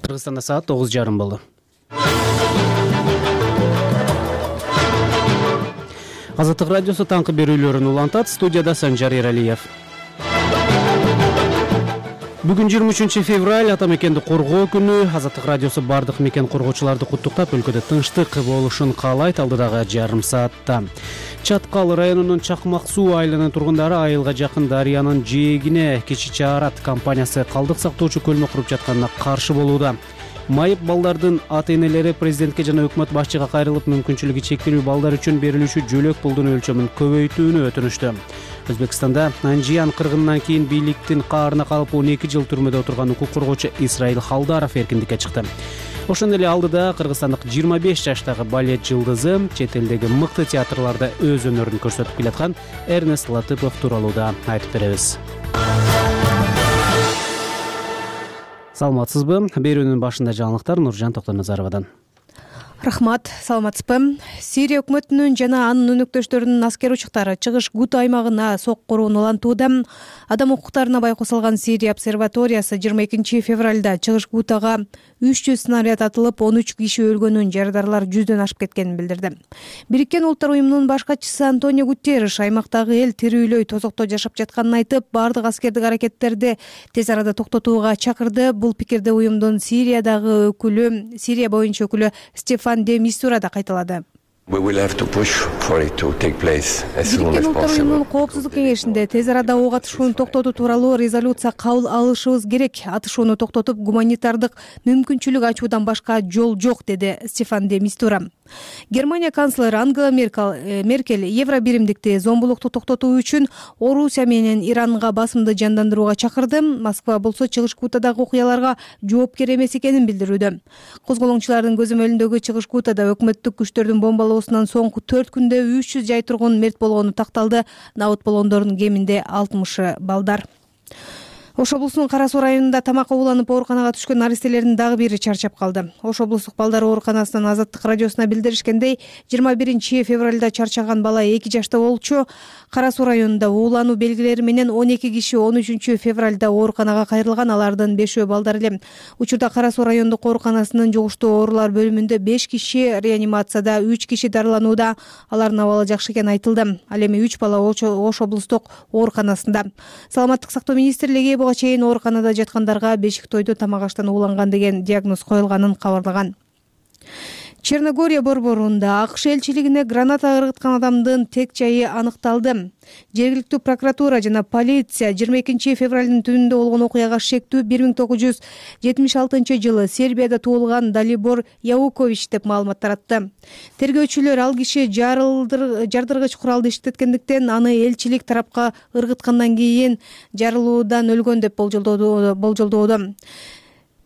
Кыргызстанда саат 9:30 болду. Азаттык радиосу таңкы берүүлөрүн улантат. Студияда Санжар Эралиев. Бүгүн 23 февраль ата мекенди коргоо күнү. Азаттык радиосу бардык мекен коргоочуларды куттуктап, өлкөдө тынчтык болушун каалайт. Алдыдагы жарым саатта Чаткал районунун Чакмак суу айылынын тургундары айылга жакын дарыянын жээгине Кичи Чаарат компаниясы калдык сактоочу көлмө куруп жатканына каршы болууда. Майып балдардын ата-энелери президентке жана өкмөт башчыга кайрылып, мүмкүнчүлүгү чектелүү балдар үчүн берилүүчү жөлөк пулдун өлчөмүн көбөйтүүнү өтүнүштү. Өзбекстанда Анжиян кыргынынан кийин бийликтин каарына калып 12 жыл түрмөдө отурган укук коргоочу Исраил Халдаров эркиндикке чыкты. Ошондой эле алдыда кыргызстандык 25 жаштагы балет жылдызы чет элдеги мыкты театрларда өз өнөрүн көрсөтүп келаткан Эрнест Латыпов тууралуу да айтып беребиз. Саламатсызбы? Берүүнүн башында жаңылыктар Нуржан Токтоназаровадан. Рахмат, саламатсызбы? Сирия өкмөтүнүн жана анын өнөктөштөрүнүн аскер учуктары чыгыш Гута аймагына соккурууну улантууда. Адам укуктарына байкоо салган Сирия обсерваториясы 22 февралда чыгыш Гутага 300 снаряд атылып, 13 киши өлгөнүн, жарадарлар 100дөн ашып кеткенин билдирди. Бириккен Улуттар уюмунун баш катчысы Антонио Гутерриш аймактагы эл тирүүлөй тозокто жашап жатканын айтып, бардык аскердик аракеттерди тез арада токтотууга чакырды. Бул пикирди уюмдун Сирия боюнча өкүлү Стефан де Мистура да кайталады. Бириккен Улуттар уюмунун коопсуздук кеңешинде тез арада ок атышууну токтотуу тууралуу резолюция кабыл алышыбыз керек. Атышууну токтотуп, гуманитардык мүмкүнчүлүк ачуудан башка жол жок, деди Стефан де Мистура. Германия канцлери Ангела Меркель евробиримдикти зомбулукту токтотуу үчүн Орусия менен Иранга басымды жандандырууга чакырды. Москва болсо чыгыш Гутадагы окуяларга жоопкер эмес экенин билдирүүдө. Козголоңчулардын көзөмөлүндөгү чыгыш Гутада өкмөттүк күчтөрдүн бомбалоосунан соңку 4 күндө 300 жай тургун мерт болгону такталды. Набыт болгондордун кеминде 60 балдар. Ош облусунун Кара Суу районунда тамакка ууланып ооруканага түшкөн наристелердин дагы бири чарчап калды. Ош облустук балдар ооруканасынын Азаттык радиосуна билдиришкендей, 21 февралда чарчаган бала 2 жашта болчу. Кара Суу районунда уулануу белгилери менен 12 киши 13 февралда ооруканага кайрылган, алардын 5 балдар эле. Учурда Кара Суу райондук ооруканасынын жугуштуу оорулар бөлүмүндө 5 киши реанимацияда, 3 киши дарыланууда. Алардын абалы жакшы экени айтылды. Ал эми 3 бала Ош облустук ооруканасында. Саламаттык сактоо министрлиги буга чейин ооруканада жаткандарга бешик тойдо тамак аштан ууланган деген диагноз коюлганын кабарлаган. Черногория борборунда АКШ элчилигине граната ыргыткан адамдын тек жайы аныкталды. Жергиликтүү прокуратура жана полиция 22 февралдын түнүндө болгон окуяга шектүү 1976 жылы Сербияда туулган Далибор Яукович деп маалымат таратты. Тергөөчүлөр ал киши жардыргыч куралды иштеткендиктен аны элчилик тарапка ыргыткандан кийин жарылуудан өлгөн деп болжолдоодо.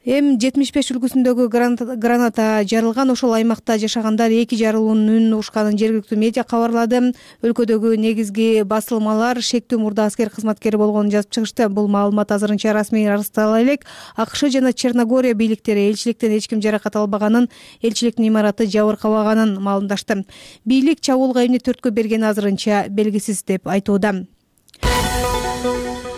М75 үлгүсүндөгү граната жарылган. Ошол аймакта жашагандар 2 жарылуунун үнүн угушканын жергиликтүү медиа кабарлады. Өлкөдөгү негизги басылмалар шектүү мурда аскер кызматкери болгонун жазып чыгышты. Бул маалымат азырынча расмий ырастала элек. АКШ жана Черногория бийликтери элчиликтен эч ким жаракат албаганын, элчиликтин имараты жабыркабаганын маалымдашты. Бийлик чабуулга эмне төрткө бергени азырынча белгисиз деп айтууда.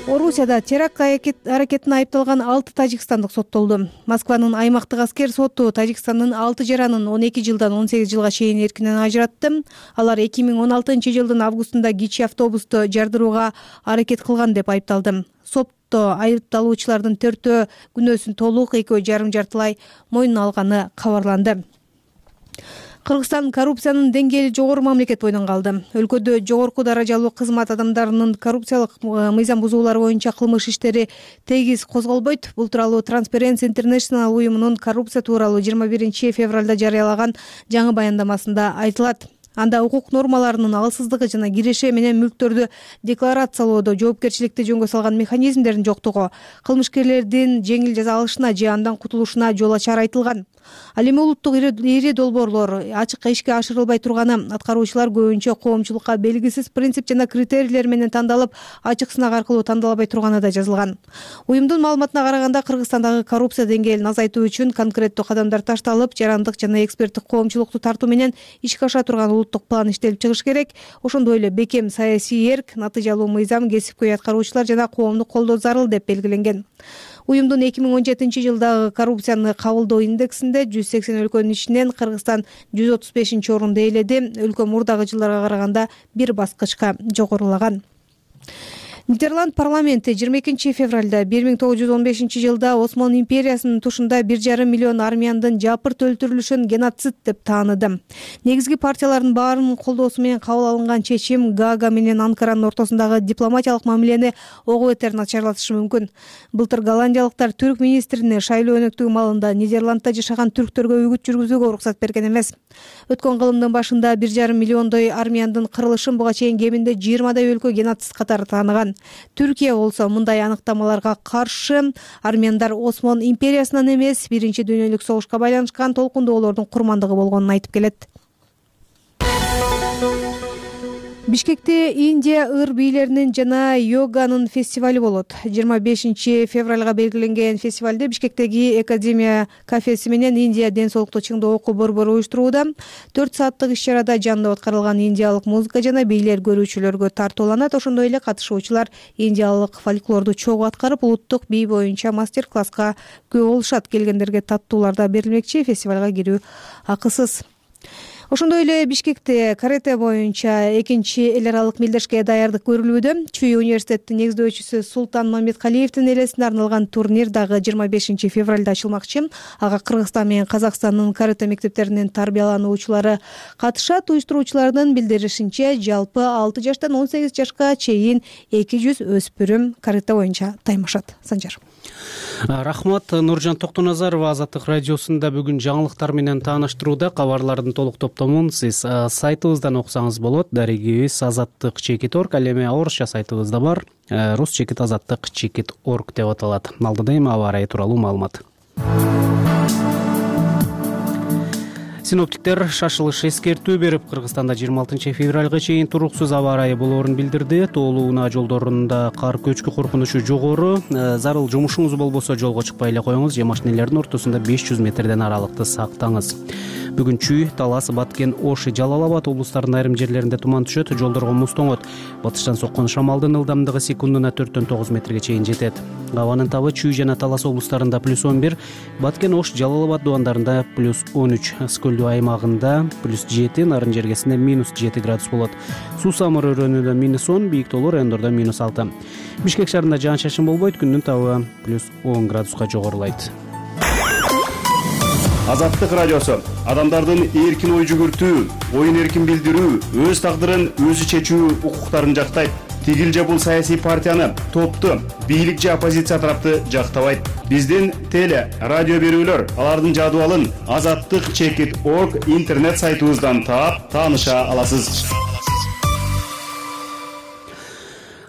Орусияда теракт аракетине айыпталган 6 тажикстандык соттолду. Москванын аймактык аскер соту Тажикстандын 6 жаранын 12 жылдан 18 жылга чейин эркинен ажыратты. Алар 2016 жылдын августунда кичи автобусту жардырууга аракет кылган деп айыпталды. Сотто айыпталуучулардын 4 күнөөсүн толук, 2 жарым жартылай мойнуна алганы кабарланды. Кыргызстан коррупциянын деңгээли жогору мамлекет бойдон калды. Өлкөдө жогорку даражалуу кызмат адамдарынын коррупциялык мыйзам бузуулар боюнча кылмыш иштери тегиз козголбойт. Бул тууралуу Transparency International уюмунун коррупция тууралуу 21 февралда жарыялаган жаңы баяндамасында айтылат. Анда укук нормаларынын алсыздыгы жана киреше менен мүлктөрдү декларациялоодо жоопкерчиликти жөнгө салган механизмдердин жоктугу кылмышкерлердин жеңил жаза алышына же андан кутулушуна жол ачары айтылган. Ал эми улуттук ири долбоорлор ачыкка ишке ашырылбай турганы, аткаруучулар көбүнчө коомчулукка белгисиз принцип жана критерийлер менен тандалып, ачык сынак аркылуу тандалбай турганы да жазылган. Уюмдун маалыматына караганда, Кыргызстандагы коррупция деңгээлин азайтуу үчүн конкреттүү кадамдар ташталып, жарандык жана эксперттик коомчулукту тартуу менен ишке аша турган улуттук план иштелип чыгыш керек. Ошондой эле бекем саясий эрк, натыйжалуу мыйзам, кесипкөй аткаруучулар жана коомду колдоо зарыл деп белгиленген. Уюмдун 2017-жылдагы коррупцияны кабылдоо индексинде 180 өлкөнүн ичинен Кыргызстан 135-орунду ээледи. Өлкө мурдагы жылдарга караганда бир баскычка жогорулаган. Нидерланд парламенти 22 февралда 1915-жылда Осман империясынын тушунда 1,5 миллион армяндын жапырт өлтүрүлүшүн геноцид деп тааныды. Негизги партиялардын баарынын колдоосу менен кабыл алынган чечим Гаага менен Анкаранын ортосундагы дипломатиялык мамилени ого бетер начарлатышы мүмкүн. Былтыр голландиялыктар түрк министрине шайлоо өнөктүгү маалында Нидерландда жашаган түрктөргө үгүт жүргүзүүгө уруксат берген эмес. Өткөн кылымдын башында 1,5 миллиондой армяндын кырылышын буга чейин кеминде 20 өлкө геноцид катары тааныган. Түркия болсо мындай аныктамаларга каршы. Армяндар Осман империясынан эмес, Биринчи дүйнөлүк согушка байланышкан толкундоолордун курмандыгы болгонун айтып келет. Бишкекте Индия ыр бийлеринин жана йоганын фестивали болот. 25 февралга белгиленген фестивалде Бишкектеги Академия кафеси менен Индия ден соолукту чыңдоо окуу борбору уюштурууда. 4 сааттык иш-чарада жандап аткарылган индиялык музыка жана бийлер көрүүчүлөргө тартууланат. Ошондой эле катышуучулар индиялык фольклорду чогуу аткарып, улуттук бий боюнча мастер-класска күбө болушат. Келгендерге таттуулар да берилмекчи. Фестивалга кирүү акысыз. Ошондой эле Бишкекте карате боюнча 2-эл аралык мелдешке даярдык көрүлүүдө. Чүй университеттин негиздөөчүсү Султан Мамедкалиевдин элесине арналган турнир дагы 25 февралда ачылмакчы. Ага Кыргызстан менен Казакстандын карате мектептеринин тарбиялануучулары катышат. Уюштуруучулардын билдиришинче, жалпы 6 жаштан 18 жашка чейин 200 өспүрүм карате боюнча таймашат. Санжар. Рахмат. Нуржан Токтоназарова Азаттык радиосунда бүгүн жаңылыктар менен тааныштырууда. Кабарлардын толук топтомун сиз сайтыбыздан окусаңыз болот. Дарегибиз azattik.org, ал эми орусча сайтыбызда бар. rus.azattik.org деп аталат. Алдыда эми аба ырайы тууралуу маалымат. Синоптиктер шашылыш эскертүү берип, Кыргызстанда 26 февралга чейин туруксуз аба ырайы болоорун билдирди. Тоолуу унаа жолдорунда кар көчкү коркунучу жогору. Зарыл жумушуңуз болбосо жолго чыкпай эле коюңуз же машинелердин ортосунда 500 метрден аралыкты сактаңыз. Бүгүн Чүй, Талас, Баткен, Ош, Жалал Абад облустарынын айрым жерлеринде туман түшөт, жолдорго муз тоңот. Батыштан соккон шамалдын ылдамдыгы секундуна 4-9 метрге чейин жетет. Абанын табы Чүй жана Талас облустарында +11, Баткен, Ош, Жалал Абад дубандарында +13, Скөлдүү аймагында +7, Нарын жергесинде -7 градус болот. Суу самыр өрөөнүндө -10, бийик тоолор райондордо -6. Бишкек шаарында жаан-чачын болбойт, күндүн табы +10 градуска жогорулайт. Азаттык радиосу адамдардын эркин ой жүгүртүү, оюн эркин билдирүү, өз тагдырын өзү чечүү укуктарын жактайт. Тигил же бул саясий партияны, топту, бийлик же оппозиция тарапты жактабайт. Биздин теле, радио берүүлөр алардын жадыбалын azattik.org интернет сайтыбыздан таап, тааныша аласыз.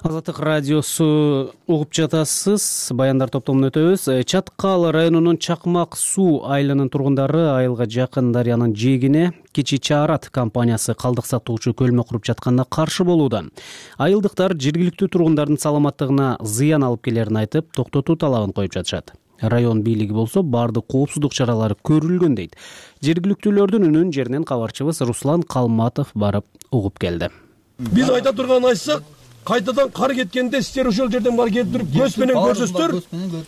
Азаттык радиосу угуп жатасыз. Баяндар топтомун өтөбүз. Чаткал районунун Чакмак суу айылынын тургундары айылга жакын дарыянын жээгине Кичи Чаарат компаниясы калдык сатуучу көлмө куруп жатканына каршы болууда. Айылдыктар жергиликтүү тургундардын саламаттыгына зыян алып келерин айтып, токтотуу талабын коюп жатышат. Район бийлиги болсо баардык коопсуздук чаралары көрүлгөн дейт. Жергиликтүүлөрдүн үнүн жеринен кабарчыбыз Руслан Калматов барып угуп келди. Биз айта турганын айтсак, кайтадан кар кеткенде сиздер ошол жерден бар келип туруп көз менен көрсөздөр,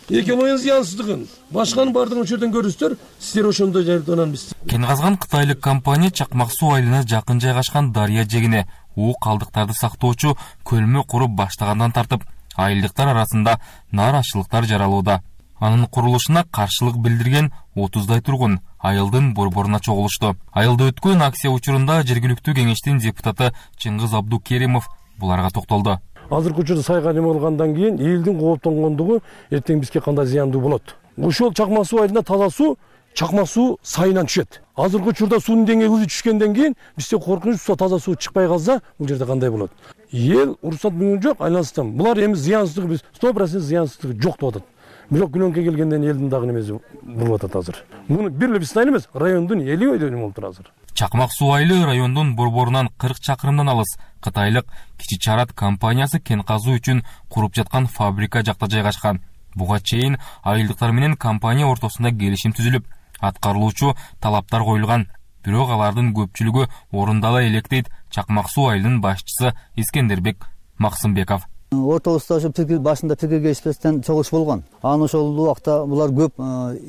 экөөмүн зыянсыздыгын, башканын баардыгын ошол жерден көрүсүздөр, сиздер ошондой жардынан биз. Кен казган кытайлык компания Чакмак суу айылына жакын жайгашкан дарыя жегине уу калдыктарды сактоочу көлмө куруп баштагандан тартып, айылдыктар арасында нааразычылыктар жаралууда. Анын курулушуна каршылык билдирген 30дай тургун айылдын борборуна чогулушту. Айылда өткөн акция учурунда жергиликтүү кеңештин депутаты Чыңгыз Абдукеримов буларга токтолду. Азыркы учурда сайга неме болгондон кийин элдин кооптонгондугу эртең бизге кандай зыяндуу болот. Ошол Чакмак суу айылына таза суу Чакмак суу сайынан түшөт. Азыркы учурда суунун деңгээли түшкөндөн кийин бизде коркунуч таза суу чыкпай калса, бул жерде кандай болот? Эл уруксат берген жок, айланыстан. Булар эми зыянсыздыгы биз 100% зыянсыздыгы жок деп атат. Бирок көлөңкө келгенден элдин дагы немеси болуп атат азыр. Муну бир эле биздин эмес, райондун эли өйдөнү болуп тур азыр. Чакмак суу айылы райондун борборунан 40 чакырымдан алыс кытайлык Кичи Чаарат компаниясы кен казуу үчүн куруп жаткан фабрика жакта жайгашкан. Буга чейин айылдыктар менен компания ортосунда келишим түзүлүп, аткарылуучу талаптар коюлган. Бирок алардын көпчүлүгү орундала элек дейт Чакмак суу айылынын башчысы Искендербек Максымбеков. Ортобузда ошо башында пикир келишпестен чогуш болгон. Анан ошол убакта булар көп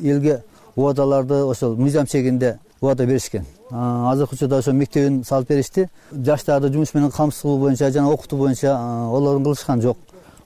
элге убадаларды ошол мыйзам чегинде убада беришкен. Азыркы учурда ошо мектебин салып беришти. Жаштарды жумуш менен камсыз кылуу боюнча жана окутуу боюнча олорун кылышкан жок.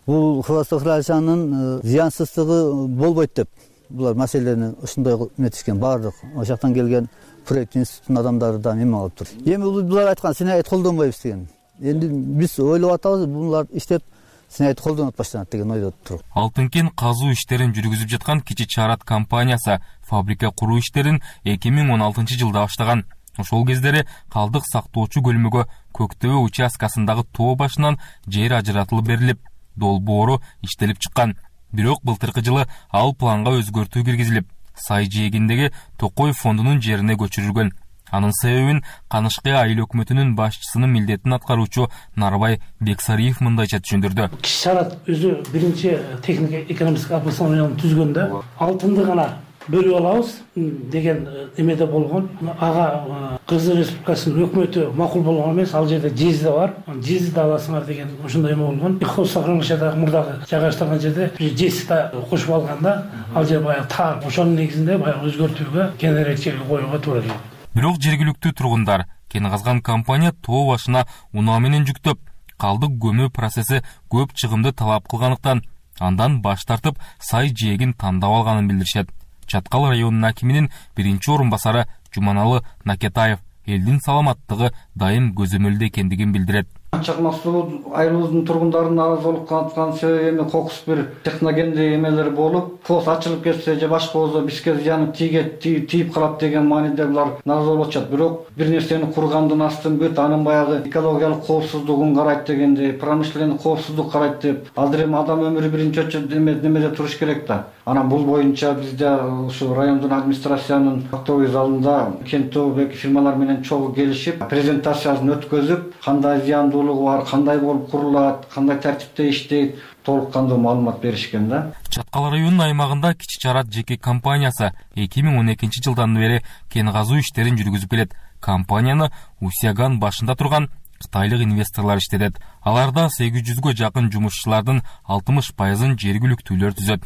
Бул хвостохранчанын зыянсыздыгы болбойт деп булар маселени ушундай метишкен. Баардык ошол жактан келген проект институттун адамдары да эме алып тур. Эми булар айткан синайт колдонбойбуз деген. Энди биз ойлоп атабыз, булар иштеп синайт колдонуп баштанат деген ойдо туруп. Алтынкен казуу иштерин жүргүзүп жаткан Кичи Чарат компаниясы фабрика куруу иштерин 2016-жылда баштаган. Ошол кездери калдык сактоочу көлмөгө Көктөбө участкасындагы тоо башынан жер ажыратылып берилип, долбоору иштелип чыккан. Бирок былтыркы жылы ал планга өзгөртүү киргизилип, Сай жээгиндеги Токой фондунун жерине көчүрүлгөн. Анын себебин Канышкы айыл өкмөтүнүн башчысынын милдетин аткаруучу Нарбай Бексариев мындайча түшүндүрдү. Кичи Чарат өзү биринчи техник экономикалык обоснованияны түзгөндө алтынды гана бөлүп алабыз деген эмеде болгон. Ага Кыргыз Республикасынын өкмөтү макул болгон эмес, ал жерде жези да бар. Жези да аласыңар деген ошондой эме болгон. Хвостохранилищедагы мурдагы жайгаштырган жерде жези да кошуп алганда, ал жер баягы таар. Ошонун негизинде баягы өзгөртүүгө кененирээк жерге коюуга туура келди. Бирок жергиликтүү тургундар кен казган компания тоо башына унаа менен жүктөп, калдык көмүү процесси көп чыгымды талап кылгандыктан андан баш тартып Сай жээгин тандап алганын билдиришет. Чаткал районунун акиминин биринчи орун басары Жуманалы Накетаев элдин саламаттыгы дайым көзөмөлдө экендигин билдирет. Чакмак суу айылыбыздын тургундарынын наразылык таныткан себеби кокус бир техногендик эмелер болуп, фос ачылып кетсе же башка болсо бизге зыяны тийип калат деген мааниде булар наразы болуп атышат. Бирок бир нерсени кургандан астын бүт анын баягы экологиялык коопсуздугун карайт дегенде, промышленный коопсуздук карайт деп, азыр эми адам өмүрү биринчи очередде немеде туруш керек да. Анан бул боюнча бизде ушу райондун администрациянын актовый залында кенттеги фирмалар менен чогуу келишип, презентациясын өткөзүп, кандай зыяндуулугу бар, кандай болуп курулат, кандай тартипте иштейт, толук кандуу маалымат беришкен да. Чаткал районунун аймагында Кичи Чарат жеке компаниясы 2012-жылдан бери кен казуу иштерин жүргүзүп келет. Компанияны Усяган башында турган кытайлык инвесторлор иштетет. Аларда 800гө жакын жумушчулардын 60%-ын жергиликтүүлөр түзөт.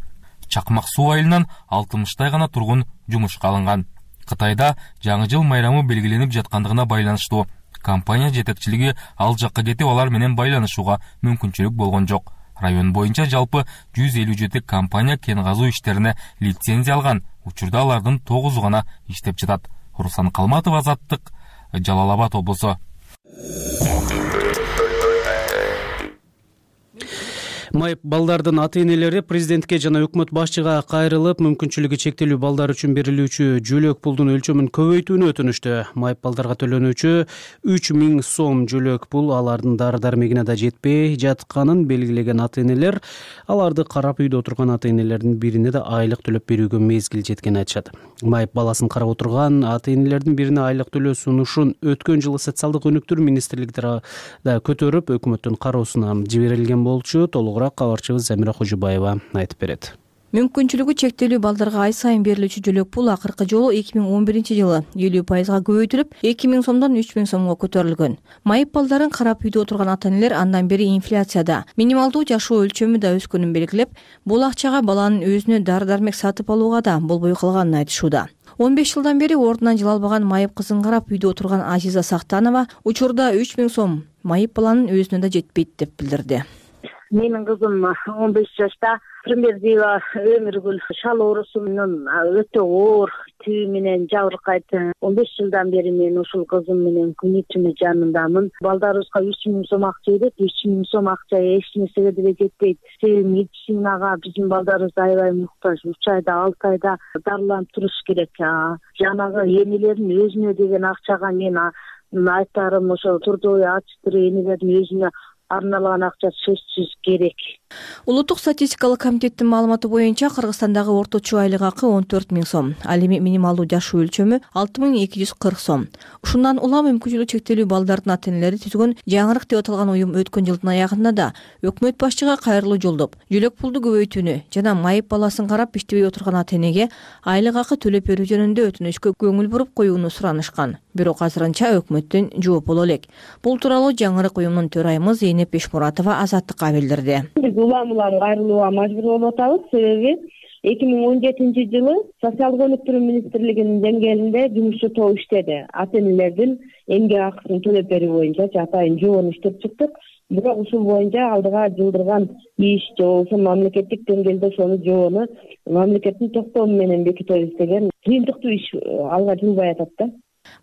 Чакмак суу айылынан 60-тай гана тургун жумушка алынган. Кытайда жаңы жыл майрамы белгиленип жаткандыгына байланыштуу компания жетекчилиги ал жакка кетип алар менен байланышууга мүмкүнчүлүк болгон жок. Район боюнча жалпы 157 компания кен казуу иштерине лицензия алган. Учурда алардын 9 гана иштеп жатат. Руслан Калматов, Азаттык, Жалал Абад облусу. Майып балдардын ата-энелери президентке жана өкмөт башчыга кайрылып, мүмкүнчүлүгү чектелүү балдар үчүн берилүүчү жөлөк пулдун өлчөмүн көбөйтүүнү өтүнүштү. Майып балдарга төлөнүүчү 3000 сом жөлөк пул алардын дары-дармегине да жетпей жатканын белгилеген ата-энелер аларды карап үйдө отурган ата-энелердин бирине да айлык төлөп берүүгө мезгил жеткенин айтышат. Майып баласын карап отурган ата-энелердин бирине айлык төлөө сунушун өткөн жылы социалдык өнүктүрүү министрлиги да көтөрүп, өкмөттүн кароосуна жиберилген болчу. Кабарчыбыз Замира Хожубаева айтып берет. Мүмкүнчүлүгү чектелүү балдарга ай сайын берилүүчү жөлөк пул акыркы жолу 2011-жылы 50% көбөйтүлүп, 2000 сомдон 3000 сомго көтөрүлгөн. Майып балдарын карап үйдө отурган ата-энелер андан бери инфляцияда минималдуу жашоо өлчөмү да өскөнүн белгилеп, бул акчага баланын өзүнө дары-дармек сатып алууга да болбой калганын айтышууда. 15 жылдан бери ордунан жыл албаган майып кызын карап үйдө отурган Азиза Сактанова учурда 3000 сом майып баланын өзүнө да жетпейт деп билдирди. Менин кызым 15 жашта Примердиева Өмүргүл шал оорусунун өтө оор түү менен жабыркайт. 15 жылдан бери мен ушул кызым менен күнү түнү жанындамын. Балдарыбызга 3000 сом акча берет, 3000 сом акча эч нерсеге деле жетпейт. Медицинага биздин балдарыбыз аябай муктаж. 3 айда 6 айда дарыланып туруш керек. Жанагы энелердин өзүнө деген акчага мен айтарым ошо трудовой ачтыр энелердин өзүнө арналган акча сөзсүз керек. Улуттук статистикалык комитеттин маалыматы боюнча Кыргызстандагы орточо айлык акы 14 000 сом, ал эми минималдуу жаш өлчөмү 6240 сом. Ушундан улам мүмкүнчүлүгү чектелүү балдардын ата-энелери түзгөн жаңырык деп аталган уюм өткөн жылдын аягында да өкмөт башчыга кайрылуу жолдоп, жөлөк пулду көбөйтүүнү жана майып баласын карап иштебей отурган ата-энеге айлык акы төлөп берүү жөнүндө өтүнүчкө көңүл буруп коюуну суранышкан. Бирок азырынча өкмөттөн жооп боло элек. Бул тууралуу жаңырык уюмдун төрайымы Зейнеп Бешмуратова Азаттыкка билдирди. Биз улам кайрылууга мажбур болуп атабыз. Себеби 2017 жылы социалдык өнүктүрүү министрлигинин деңгээлинде жумушчу топ иштеди. Ата-энелердин эмгек акысын төлөп берүү боюнча атайын жоон иштеп чыктык. Бирок ушул боюнча алдыга жылдырган иш же болбосо мамлекеттик деңгээлде ошонун жоону мамлекеттин токтому менен бекитебиз деген кыйынтыктуу иш алга жылбай атат да.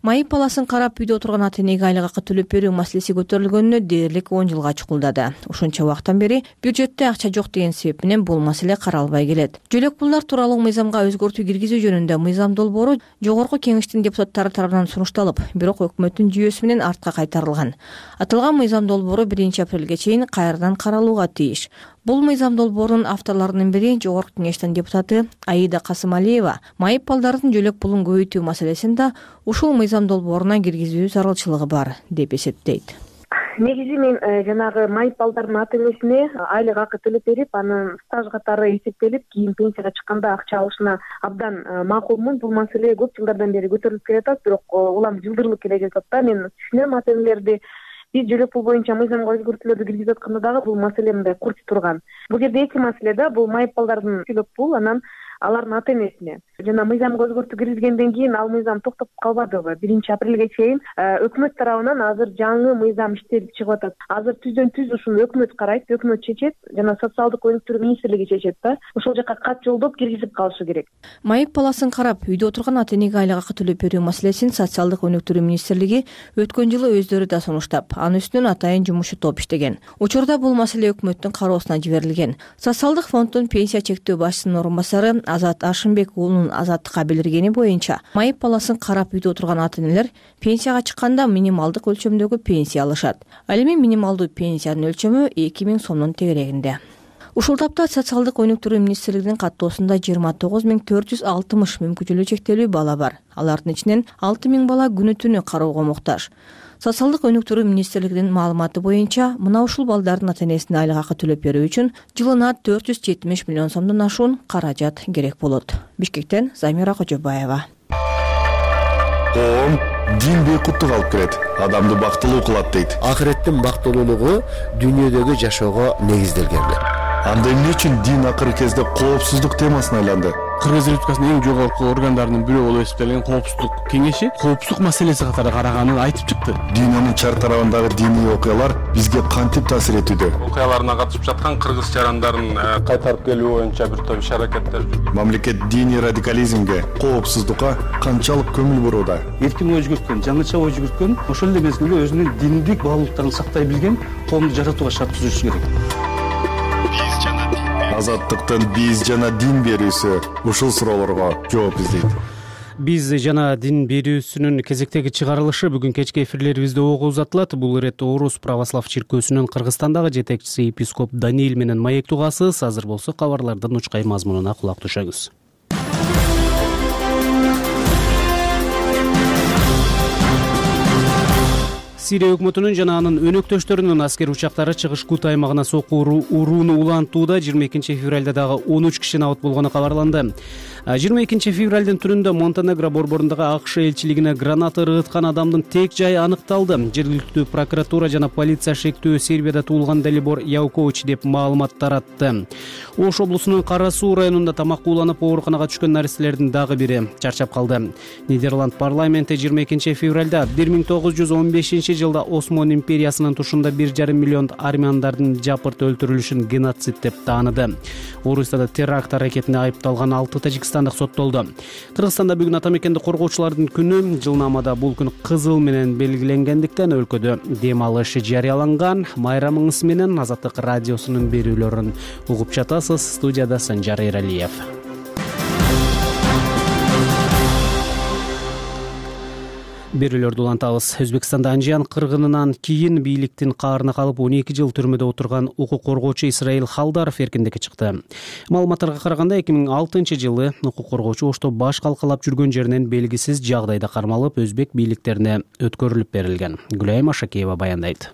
Майып баласын карап үйдө отурган ата-энеге айлык акы төлөп берүү маселеси көтөрүлгөнүнө дээрлик 10 жылга чукулдады. Ушунча убакыттан бери бюджетте акча жок деген себеп менен бул маселе каралбай келет. Жөлөк пулдар тууралуу мыйзамга өзгөртүү киргизүү жөнүндө мыйзам долбоору жогорку кеңештин депутаттары тарабынан сунушталып, бирок өкмөттүн жүйөсү менен артка кайтарылган. Аталган мыйзам долбоору 1 апрелге чейин кайрадан каралууга тийиш. Бул мыйзам долбоорунун авторлорунун бири жогорку кеңештин депутаты Аида Касымалиева майып балдардын жөлөк пулун көбөйтүү маселесин да ушул мыйзам долбооруна киргизүү зарылчылыгы бар деп эсептейт. Негизи мен жанагы майып балдардын ата-энесине айлык акы төлөп берип, анын стаж катары эсептелип, кийин пенсияга чыкканда акча алышына абдан макулмун. Бул маселе көп жылдардан бери көтөрүлүп келатат, бирок улам жылдырылып келе жатат да. Мен түшүнөм ата-энелерди. Биз жөлөк пул боюнча мыйзамга өзгөртүүлөрдү киргизип атканда дагы бул маселе мындай курч турган. Бул жерде эки маселе да, бул майып балдардын жөлөк пул, анан алардын ата-энесине. Жана мыйзамга өзгөртүү киргизгенден кийин ал мыйзам токтоп калбадыбы? 1 апрелге чейин өкмөт тарабынан азыр жаңы мыйзам иштелип чыгып атат. Азыр түздөн-түз ушуну өкмөт карайт, өкмөт чечет жана социалдык өнүктүрүү министрлиги чечет да. Ошол жака кат жолдоп киргизип калышы керек. Майып баласын карап үйдө отурган ата-энеге айлык акы төлөп берүү маселесин социалдык өнүктүрүү министрлиги өткөн жылы өздөрү да сунуштап, анын үстүнөн атайын жумушчу топ иштеген. Учурда бул маселе өкмөттүн кароосуна жиберилген. Социалдык фонддун пенсия чектөө башчысынын орун басары Азат Ашымбек уулунун Азаттыкка билдиргени боюнча, майып баласын карап үйдө отурган ата-энелер пенсияга чыкканда минималдык өлчөмдөгү пенсия алышат. Ал эми минималдуу пенсиянын өлчөмү 2000 сомдун тегерегинде. Ушул тапта социалдык өнүктүрүү министрлигинин каттоосунда 29460 мүмкүнчүлүгү чектелүү бала бар. Алардын ичинен 6000 бала күнү-түнү кароого муктаж. Социалдык өнүктүрүү министрлигинин маалыматы боюнча, мына ушул балдардын ата-энесине айлык акы төлөп берүү үчүн жылына 470 миллион сомдон ашуун каражат керек болот. Бишкектен Замира Кожобаева. Коом дин бейкуттук алып келет, адамды бактылуу кылат дейт. Акыреттин бактылуулугу дүйнөдөгү жашоого негизделген. Анда эмне үчүн дин акыркы кезде коопсуздук темасына айланды? Кыргыз Республикасынын эң жогорку органдарынын бирөө болуп эсептелген коопсуздук кеңеши коопсуздук маселеси катары караганын айтып чыкты. Дүйнөнүн чар тарабындагы диний окуялар бизге кантип таасир этүүдө? Окуяларына катышып жаткан кыргыз жарандарын кайтарып келүү боюнча бир топ иш-аракеттер. Мамлекет диний радикализмге, коопсуздукка канчалык көңүл бурууда? Эркин ой жүгүрткөн, жаңыча ой жүгүрткөн, ошол эле мезгилде өзүнүн диндик баалуулуктарын сактай билген коомду жаратууга шарт түзүшү керек. Азаттыктын биз жана дин берүүсү ушул суроолорго жооп издейт. Биз жана дин берүүсүнүн кезектеги чыгарылышы бүгүн кечки эфирлерибизде ого узатылат. Бул ирет Орус православ чиркөөсүнүн Кыргызстандагы жетекчиси епископ Даниил менен маектугасыз. Азыр болсо кабарлардын учкай мазмунуна кулак түшөңүз. Сирия өкмөтүнүн жана анын өнөктөштөрүнүн аскер учактары чыгыш Кут аймагына сокку урууну улантууда 22 февралда дагы 13 киши абат болгону кабарланды. 22 февралдын түнүндө Монтенегро борборундагы АКШ элчилигине граната ыргыткан адамдын тек жайы аныкталды. Жергиликтүү прокуратура жана полиция шектүү Сербияда туулган Далибор Явкович деп маалымат таратты. Ош облусунун Кара Суу районунда тамак ууланып ооруканага түшкөн наристелердин дагы бири чарчап калды. Нидерланд парламенти 22 февралда 1915 жылда Осман империясынын тушунда 1,5 миллион армяндардын жапырт өлтүрүлүшүн геноцид деп тааныды. Орусияда теракт аракетине айыпталган 6 тажикстандык соттолду. Кыргызстанда бүгүн ата мекенди коргоочулардын күнү. Жылнамада бул күн кызыл менен белгиленгендиктен өлкөдө дем алыш жарыяланган. Майрамыңыз менен Азаттык радиосунун берүүлөрүн угуп жатасыз. Студияда Санжар Эралиев. Берүүлөрдү улантабыз. Өзбекстанда Анжиян кыргынынан кийин бийликтин каарына калып 12 жыл түрмөдө отурган укук коргоочу Исраил Халдаров эркиндикке чыкты. Маалыматтарга караганда 2006-жылы укук коргоочу Ошто баш калкалап жүргөн жеринен белгисиз жагдайда кармалып, өзбек бийликтерине өткөрүлүп берилген. Гүлайым Ашакиева баяндайт.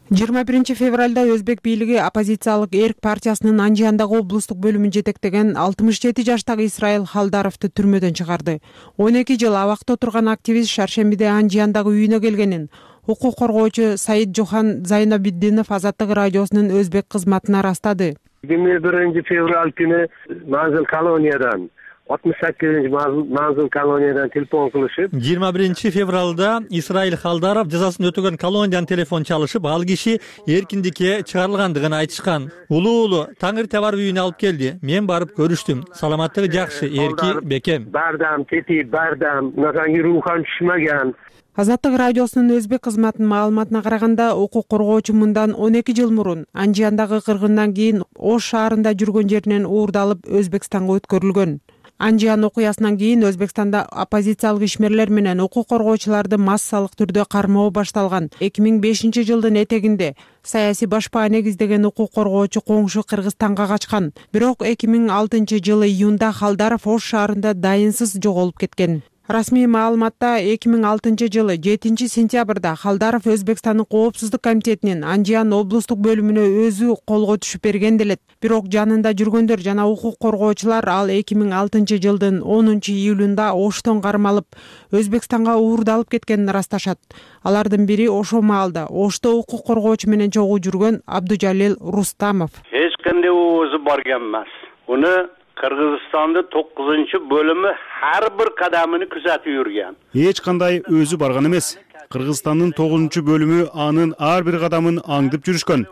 21 февралда өзбек бийлиги оппозициялык Эрк партиясынын Анжияндагы облустук бөлүмүн жетектеген 67 жаштагы Исраил Халдаровду түрмөдөн чыгарды. 12 жыл абакта отурган активист шаршембиде Анжияндагы үйүнө келгенин укук коргоочу Саид Жохан Зайнабиддинов Азаттык радиосунун өзбек кызматына ырастады. 21 февраль күнү Манзил колониядан 68 Манзил колониядан телефон кылышып, 21 февралда Исраил Халдаров жазасын өтөгөн колониядан телефон чалышып, ал киши эркиндикке чыгарылгандыгын айтышкан. Улуу Таңыр Табар үйүнө алып келди. Мен барып көрүштүм. Саламаттыгы жакшы, эрки бекем. Бардам, кетип бардам, мынакей рухам түшмөгөн. Азаттык радиосунун өзбек кызматынын маалыматына караганда, укук коргоочу мындан 12 жыл мурун Анжияндагы кыргындан кийин Ош шаарында жүргөн жеринен уурдалып Өзбекстанга өткөрүлгөн. Анжиян окуясынан кийин Өзбекстанда оппозициялык ишмерлер менен укук коргоочуларды массалык түрдө кармоо башталган. 2005 жылдын этегинде саясий башпаа негиздеген укук коргоочу коңшу Кыргызстанга качкан. Бирок 2006 жылы июнда Халдаров Ош шаарында дайынсыз жоголуп кеткен. Расмий маалыматта 2006 жылы 7 сентябрда Халдаров Өзбекстандын Коопсуздук комитетинин Анжиян облустук бөлүмүнө өзү колго түшүп берген делет. Бирок жанында жүргөндөр жана укук коргоочулар ал 2006 жылдын 10 июлунда Оштон кармалып, Өзбекстанга уурдалып кеткенин ырасташат. Алардын бири ошол маалда Ошто укук коргоочу менен чогуу жүргөн Абдужалил Рустамов. Эч кандай өзү барган эмес. Уну Кыргызстандын 9-бөлүмү ар бир кадамын күзөтүп жүргөн. Эч кандай өзү барган эмес. Кыргызстандын 9-бөлүмү анын ар бир кадамын аңдып жүрүшкөн.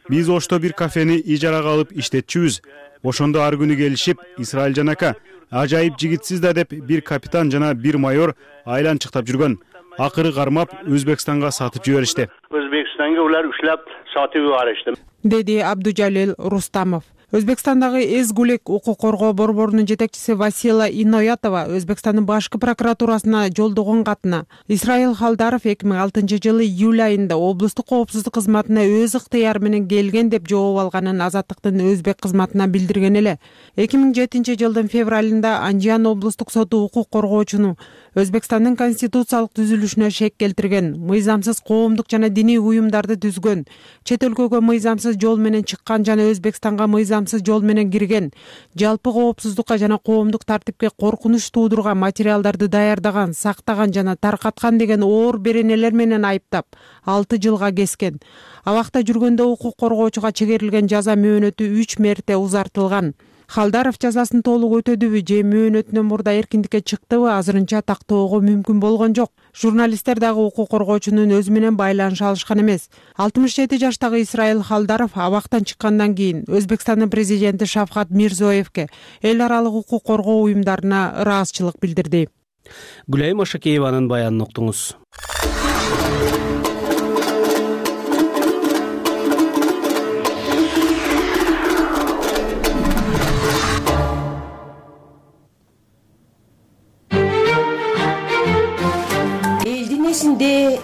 Биз Ошто бир кафени ижарага алып иштетчүбүз. Ошондо ар күнү келишип, Исраил жанака, ажайып жигитсиз да деп бир капитан жана бир майор айланчыктап жүргөн. Акыры кармап Өзбекстанга сатып жиберишти. Өзбекстанга улар ушлап сатып жиберишти, деди Абдужалил Рустамов. Өзбекстандагы Эзгулек укук коргоо борборунун жетекчиси Васила Иноятова Өзбекстандын башкы прокуратурасына жолдогон катына Исраил Халдаров 2006 жылы июль айында облустук коопсуздук кызматына өз ыктыяры менен келген деп жооп алганын Азаттыктын өзбек кызматына билдирген эле. 2007 жылдын февралында Анжиян облустук соту укук коргоочуну Өзбекстандын конституциялык түзүлүшүнө шек келтирген, мыйзамсыз коомдук жана диний уюмдарды түзгөн, чет өлкөгө мыйзамсыз жол менен чыккан жана Өзбекстанга мыйзамсыз жол менен кирген, жалпы коопсуздукка жана коомдук тартипке коркунуч туудурган материалдарды даярдаган, сактаган жана таркаткан деген оор беренелер менен айыптап 6 жылга кескен. Абакта жүргөндө укук коргоочуга чегерилген жаза мөөнөтү 3 мерте узартылган. Халдаров жазасын толук өтөдүбү же мөөнөтүнөн мурда эркиндикке чыктыбы азырынча тактоого мүмкүн болгон жок. Журналисттер дагы укук коргоочунун өзү менен байланыша алышкан эмес. 67 жаштагы Исраил Халдаров абактан чыккандан кийин Өзбекстандын президенти Шавкат Мирзиёевке эл аралык укук коргоо уюмдарына ыраазычылык билдирди. Гүлайым Ашакееванын баянын уктуңуз.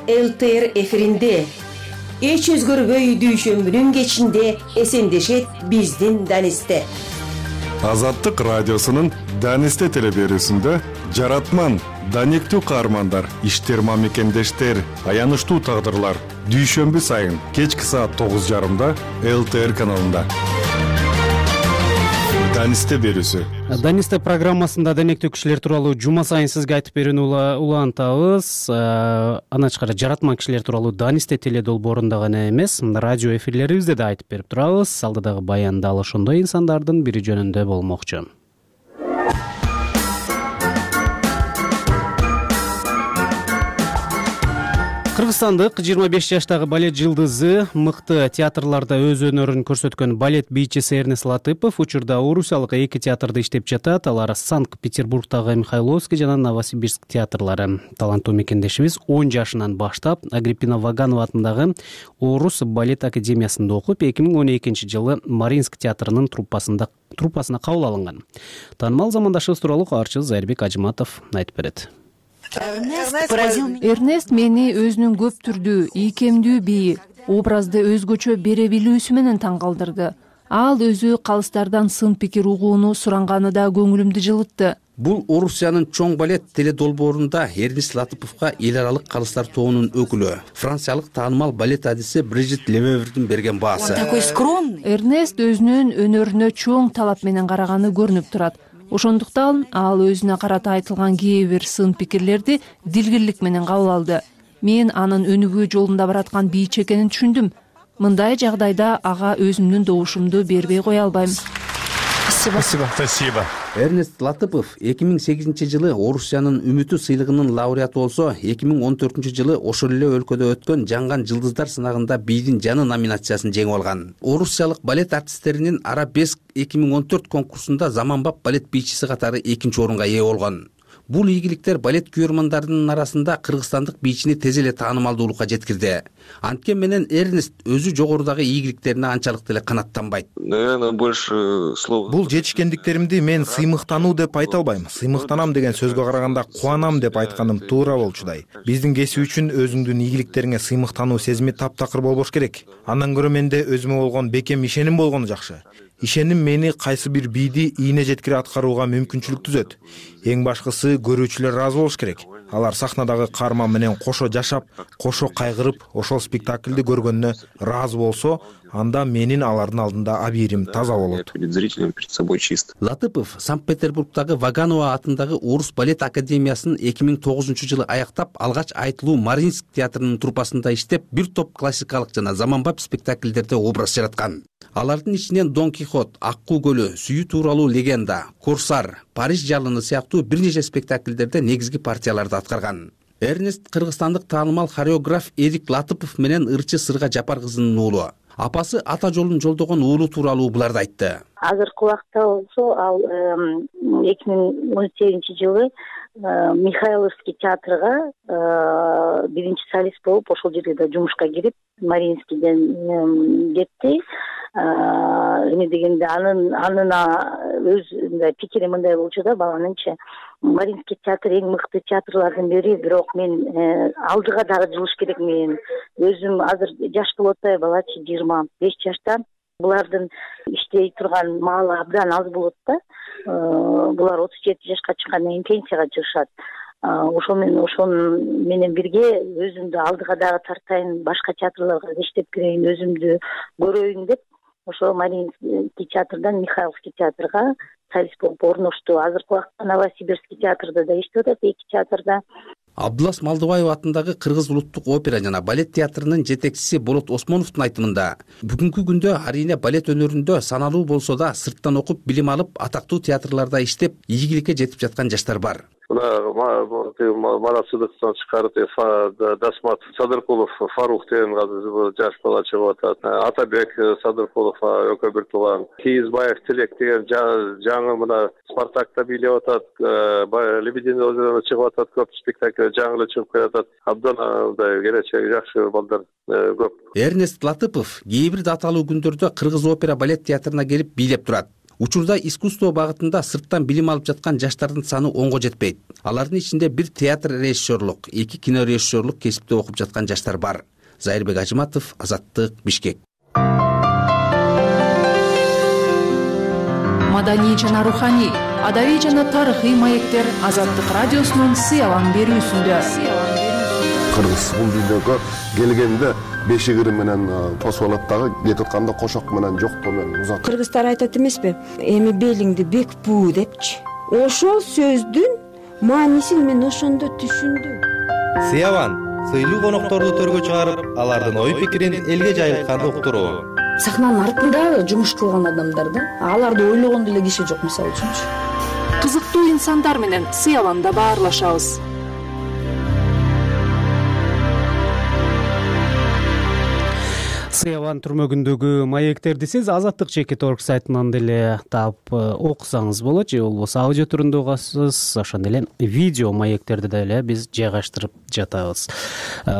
ЛТР эфиринде эч өзгөрбөй дүйшөмбүнүн кечинде эсендешет биздин Данисте. Азаттык радиосунун Данисте телеберүүсүндө жаратман, даниктүү каармандар, иштер мамекендештер, аянычтуу тагдырлар дүйшөмбү сайын кечки саат 9:30 ЛТР каналында. Данисте берүүсү. Данисте программасында денектүү кишилер тууралуу жума сайын сизге айтып берүүнү улантабыз. Андан тышкары жаратман кишилер тууралуу Данисте теледолбоорунда гана эмес, радио эфирлерибизде да айтып берип турабыз. Алдыдагы баян дал ошондой инсандардын бири жөнүндө болмокчу. Кыргызстандык 25 жаштагы балет жылдызы, мыкты театрларда өз өнөрүн көрсөткөн балет бийчиси Эрнес Латыпов учурда Орусиялык 2 театрда иштеп жатат. Алар Санкт-Петербургдагы Михайловский жана Новосибирск театрлары. Таланттуу мекендешибиз 10 жашынан баштап Агриппина Ваганова атындагы Орус балет академиясында окуп, 2012 жылы Маринск театрынын труппасына кабыл алынган. Таанымал замандашыбыз тууралуу каарчы Зайырбек Ажыматов айтып берет. Эрнест мени өзүнүн көп түрдүү, ийкемдүү бийи, образды өзгөчө бере билүүсү менен таң калтырды. Ал өзү калыстардан сын пикир угууну суранганы да көңүлүмдү жылытты. Бул Орусиянын чоң балет теледолбоорунда Эрнест Латыповго эл аралык калыстар тобунун өкүлү, франциялык таанымал балет адиси Брижит Левевердин берген баасы. Эрнест өзүнүн өнөрүнө чоң талап менен караганы көрүнүп турат. Ошондуктан ал өзүнө карата айтылган кээ бир сын пикирлерди дилгирлик менен кабыл алды. Мен анын өнүгүү жолунда бараткан бийчи экенин түшүндүм. Мындай жагдайда ага өзүмдүн добушумду бербей кое албайм. Спасибо. Эрнест Латыпов 2008 жылы Орусиянын Үмүтү сыйлыгынын лауреаты болсо, 2014 жылы ошол эле өлкөдө өткөн Жанган жылдыздар сынагында бийдин жаны номинациясын жеңип алган. Орусиялык балет артисттеринин Арабеск 2014 конкурсунда заманбап балет бийчиси катары 2-орунга ээ болгон. Бул ийгиликтер балет күйөрмандарынын арасында кыргызстандык бийчини тез эле таанымалдуулукка жеткирди. Анткени менен Эрнест өзү жогорудагы ийгиликтерине анчалык деле канааттанбайт. Бул жетишкендиктеримди мен сыймыктануу деп айта албайм. Сыймыктанам деген сөзгө караганда кубанам деп айтканым туура болчудай. Биздин кесип үчүн өзүңдүн ийгиликтериңе сыймыктануу сезими таптакыр болбош керек. Андан көрө менде өзүмө болгон бекем ишеним болгону жакшы. Ишеним мени кайсы бир бийди ийне жеткире аткарууга мүмкүнчүлүк түзөт. Эң башкысы көрүүчүлөр ыраазы болуш керек. Алар сахнадагы каарман менен кошо жашап, кошо кайгырып, ошол спектакльди көргөнүнө ыраазы болсо, анда менин алардын алдында абийирим таза болот. Латыпов Санкт-Петербургдагы Ваганова атындагы Орус балет академиясын 2009 жылы аяктап, алгач Айтылуу Мариинск театрынын труппасында иштеп, бир топ классикалык жана заманбап спектакльдерде образ жараткан. Алардын ичинен Дон Кихот, Аккуу көлү, Сүйүү тууралуу легенда, Корсар, Париж жалыны сыяктуу бир нече спектакльдерде негизги партияларды аткарган. Эрнест кыргызстандык таанымал хореограф Эрик Латыпов менен ырчы Сырга Жапар кызынын уулу. Апасы ата жолун жолдогон уулу тууралуу буларды айтты. Азыркы убакта болсо ал 2018 жылы Михайловский театрга биринчи солист болуп, ошол жерге да жумушка кирип, Мариинскийден кетти. Эме дегенде анын өз пикири мындай болчу да, баланынча Мариинский театр эң мыкты театрлардын бири, бирок мен алдыга дагы жылыш керек. Мен өзүм азыр жаш болуп атпайбы, балачы 25 жашта. Булардын иштей турган маалы абдан аз болот да. Булар 37 жашка чыккандан кийин пенсияга чыгышат. Ошол менен бирге өзүмдү алдыга дагы тартайын, башка театрларга иштеп кирейин, өзүмдү көрөйүн деп, ошо Мариинский театрдан Михайловский театрга солист болуп орношту. Азыркы убакта Новосибирский театрда да иштеп атат, 2 театрда. Абдулас Малдыбаев атындагы Кыргыз улуттук опера жана балет театрынын жетекчиси Болот Осмоновдун айтымында, бүгүнкү күндө арийне балет өнөрүндө саналуу болсо да сырттан окуп, билим алып, атактуу театрларда иштеп, ийгиликке жетип жаткан жаштар бар. Марат Сыдыктан чыкарып, Дасмат Садыркулов, Фарух деген жаш бала чыгып атат. Атабек Садыркулов экөө бир тууган. Кийизбаев Тилек деген жаңы мына Спартакта бийлеп атат. Лебединое озеро чыгып атат, көп спектакль жаңы эле чыгып келатат. Абдан мындай келечеги жакшы балдар көп. Эрнест Латыпов кээ бир даталуу күндөрдө Кыргыз опера балет театрына келип бийлеп турат. Учурда искусство багытында сырттан билим алып жаткан жаштардын саны 10го жетпейт. Алардын ичинде бир театр режиссерлук, 2 кино режиссерлук кесипте окуп жаткан жаштар бар. Зайырбек Ажыматов, Азаттык, Бишкек. Маданий жана руханий, адабий жана тарыхый маектер Азаттык радиосунун сыялан берүүсүндө. Кыргыз бул дүйнөгө келгенде бешигири менен тосуп алат дагы, кетип атканда кошок менен жоктоо менен узат. Кыргыздар айтат эмеспи? Эми белиңди бек буу депчи. Ошол сөздүн маанисин мен ошондо түшүндүм. Сыялан сыйлуу конокторду төргө чыгарып, алардын ой пикирин элге жайылткан уктуруу. Сахнанын артында жумуш кылган адамдар да, аларды ойлогон деле киши жок, мисалы үчүнчү. Кызыктуу инсандар менен сыяланда баарлашабыз. Сыяван түрмөгүндөгү маектерди сиз azatlyk.org сайтынан деле таап окусаңыз болот, же болбосо аудио түрүндө угасыз. Ошондой эле видео маектерди деле биз жайгаштырып жатабыз.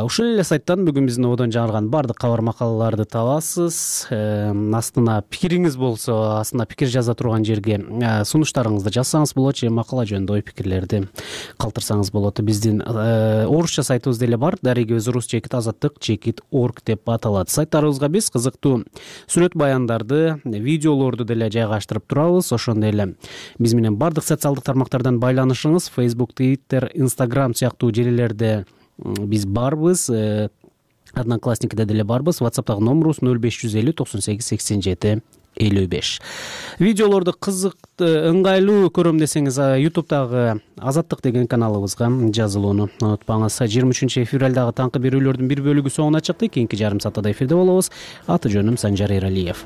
Ушул эле сайттан бүгүн биздин одон жаңырган бардык кабар макалаларды табасыз. Астына пикириңиз болсо, астына пикир жаза турган жерге сунуштарыңызды жазсаңыз болот, же макала жөнүндө ой пикирлерди калтырсаңыз болот. Биздин орусча сайтыбыз деле бар. darigöz.rus.azatlyk.org деп аталат. Сайттарыбызга биз кызыктуу сүрөт баяндарды, видеолорду деле жайгаштырып турабыз. Ошондой эле биз менен бардык социалдык тармактардан байланышыңыз, Facebook, Twitter, Instagram сыяктуу желилерде биз барбыз. Одноклассникиде деле барбыз. WhatsApp'тагы номерубуз 0550 98 87 55. Видеолорду кызыктуу, ыңгайлуу көрөм десеңиз, YouTube'дагы Азаттык деген каналыбызга жазылууну унутпаңыз. 23-февралдагы таңкы берүүлөрдүн бир бөлүгү соңуна чыкты. Кийинки жарым саатта эфирде болобуз. Аты жөнүм Санжар Эралиев.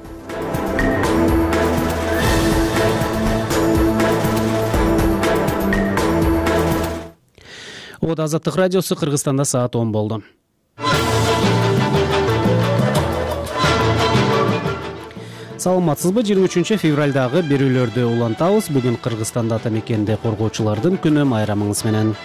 Азаттык радиосу Кыргызстанда саат 10 болду. Саламатсызбы? 23-февралдагы берүүлөрдү улантабыз. Бүгүн Кыргызстанда ата мекенди коргоочулардын күнү. Майрамыңыз менен.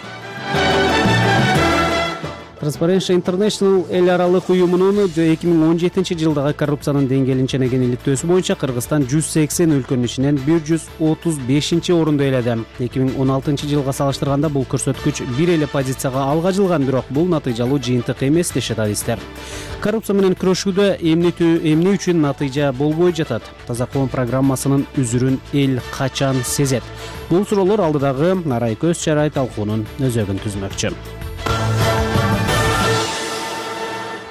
Transparency International эл аралык уюмунун 2017-жылдагы коррупциянын деңгээлин ченеген иликтөөсү боюнча Кыргызстан 180 өлкөнүн ичинен 135-орунду ээледи. 2016-жылга салыштырганда бул көрсөткүч бир эле позицияга алга жылган, бирок бул натыйжалуу жыйынтык эмес дешет адистер. Коррупция менен күрөшүүдө эмне үчүн натыйжа болбой жатат? Таза коом программасынын үзүрүн эл качан сезет? Бул суроолор алдыдагы арай көз чарай талкуунун өзөгүн түзмөкчү.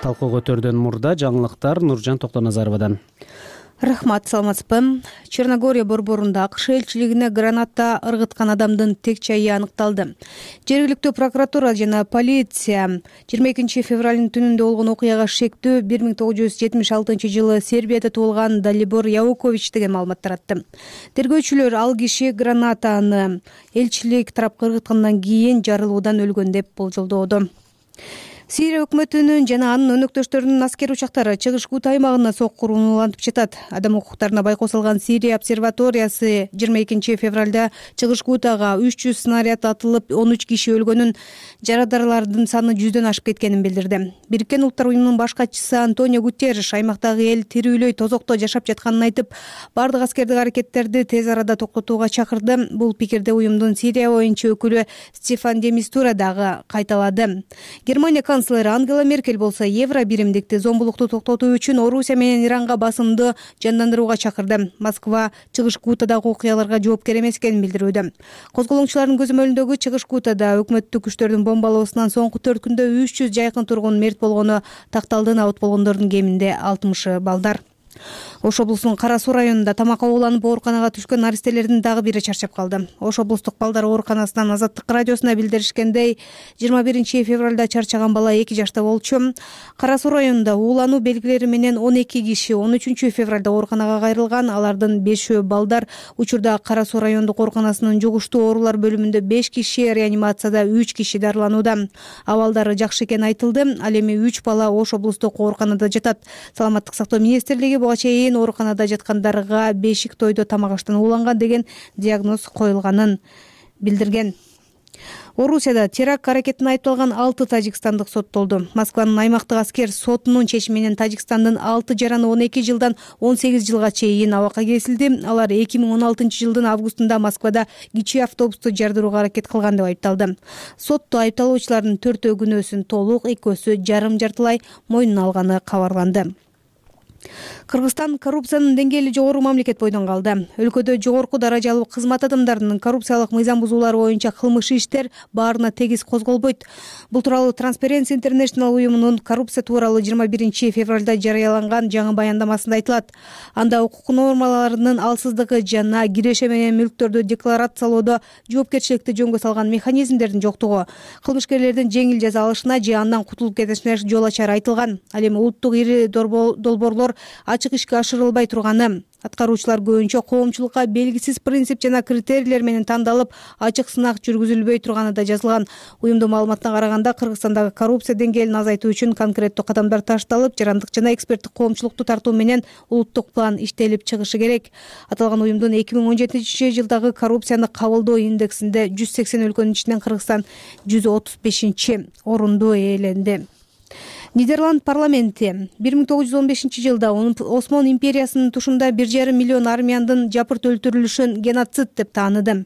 Талкуу көтөрдөн мурда жаңылыктар Нуржан Токтоназаровадан. Рахмат, саламатсызбы? Черногория борборунда АКШ элчилигине граната ыргыткан адамдын тек чайы аныкталды. Жергиликтүү прокуратура жана полиция 22-февралдын түнүндө болгон окуяга шектүү 1976-жылы Сербияда туулган Далибор Јавукович деген маалымат таратты. Тергөөчүлөр ал киши гранатаны элчилик тарапка ыргыткандан кийин жарылуудан өлгөн деп болжолдоодо. Сирия өкмөтүнүн жана анын өнөктөштөрүнүн аскер учактары Чыгыш Гута аймагына соккурууну улантып жатат. Адам укуктарына байкоо салган Сирия обсерваториясы 22-февралда Чыгыш Гутага 300 снаряд атылып, 13 киши өлгөнүн, жарадарлардын саны 100дөн ашып кеткенин билдирди. Бириккен Улуттар уюмунун баш катчысы Антонио Гутерриш аймактагы эл тирүүлөй тозокто жашап жатканын айтып, бардык аскердик аракеттерди тез арада токтотууга чакырды. Бул пикирди уюмдун Сирия боюнча өкүлү Стефан де Мистура дагы кайталады. Германия канцлери Ангела Меркель болсо евро биримдикти зомбулукту токтотуу үчүн Орусия менен Иранга басымды жандандырууга чакырды. Москва Чыгыш Гутадагы окуяларга жоопкер эмес экенин билдирүүдө. Козголоңчулардын көзөмөлүндөгү Чыгыш Гутада өкмөттүк күчтөрдүн бомбалоосунан соңку 4 күндө 300 жайкын тургун мерт болгону такталды. Абут болгондордун кеминде 60 балдар. Ош облусунун Кара Суу районунда тамакка ууланып ооруканага түшкөн наристелердин дагы бири чарчап калды. Ош облустук балдар ооруканасынан Азаттык радиосуна билдиришкендей, 21-февралда чарчаган бала 2 жашта болчу. Кара Суу районунда уулануу белгилери менен 12 киши 13-февралда ооруканага кайрылган. Алардын 5 балдар. Учурда Кара Суу райондук ооруканасынын жугуштуу оорулар бөлүмүндө 5 киши, реанимацияда 3 киши дарыланууда. Абалдары жакшы экени айтылды. Ал эми 3 бала Ош облустук ооруканада жатат. Саламаттык сактоо министрлиги буга чейин ооруканада жаткандарга бешик тойдо тамак аштан ууланган деген диагноз коюлганын билдирген. Орусияда теракт аракетине айыпталган 6 тажикстандык соттолду. Москванын аймактык аскер сотунун чечими менен Тажикстандын 6 жараны 12 жылдан 18 жылга чейин абакка кесилди. Алар 2016-жылдын августунда Москвада кичи автобусту жардырууга аракет кылган деп айыпталды. Сотто айыпталуучулардын 4 күнөөсүн толук, 2 жарым-жартылай мойнуна алганы кабарланды. Кыргызстан коррупциянын деңгээли жогору мамлекет бойдон калды. Өлкөдө жогорку даражалуу кызмат адамдарынын коррупциялык мыйзам бузуулары боюнча кылмыш иштер баарына тегиз козголбойт. Бул тууралуу Transparency International уюмунун коррупция тууралуу 21-февралда жарыяланган жаңы баяндамасында айтылат. Анда укук нормаларынын алсыздыгы жана киреше менен мүлктөрдү декларациялоодо жоопкерчиликти жөнгө салган механизмдердин жоктугу, кылмышкерлердин жеңил жаза алышына же андан кутулуп кетишине жол ачары айтылган. Ал эми улуттук ири долбоорлор долбоор ачык ишке ашырылбай турганы. Аткаруучулар көбүнчө коомчулукка белгисиз принцип жана критерийлер менен тандалып, ачык сынак жүргүзүлбөй турганы да жазылган. Уюмдун маалыматына караганда, Кыргызстандагы коррупция деңгээлин азайтуу үчүн конкреттүү кадамдар ташталып, жарандык жана эксперттик коомчулукту тартуу менен улуттук план иштелип чыгышы керек. Аталган уюмдун 2017-жылдагы коррупцияны кабылдоо индексинде 180 өлкөнүн ичинен Кыргызстан 135-орунду ээленди. Нидерланд парламенти 1915-жылда Осмон империясынын тушунда 1,5 миллион армяндын жапырт өлтүрүлүшүн геноцид деп тааныды.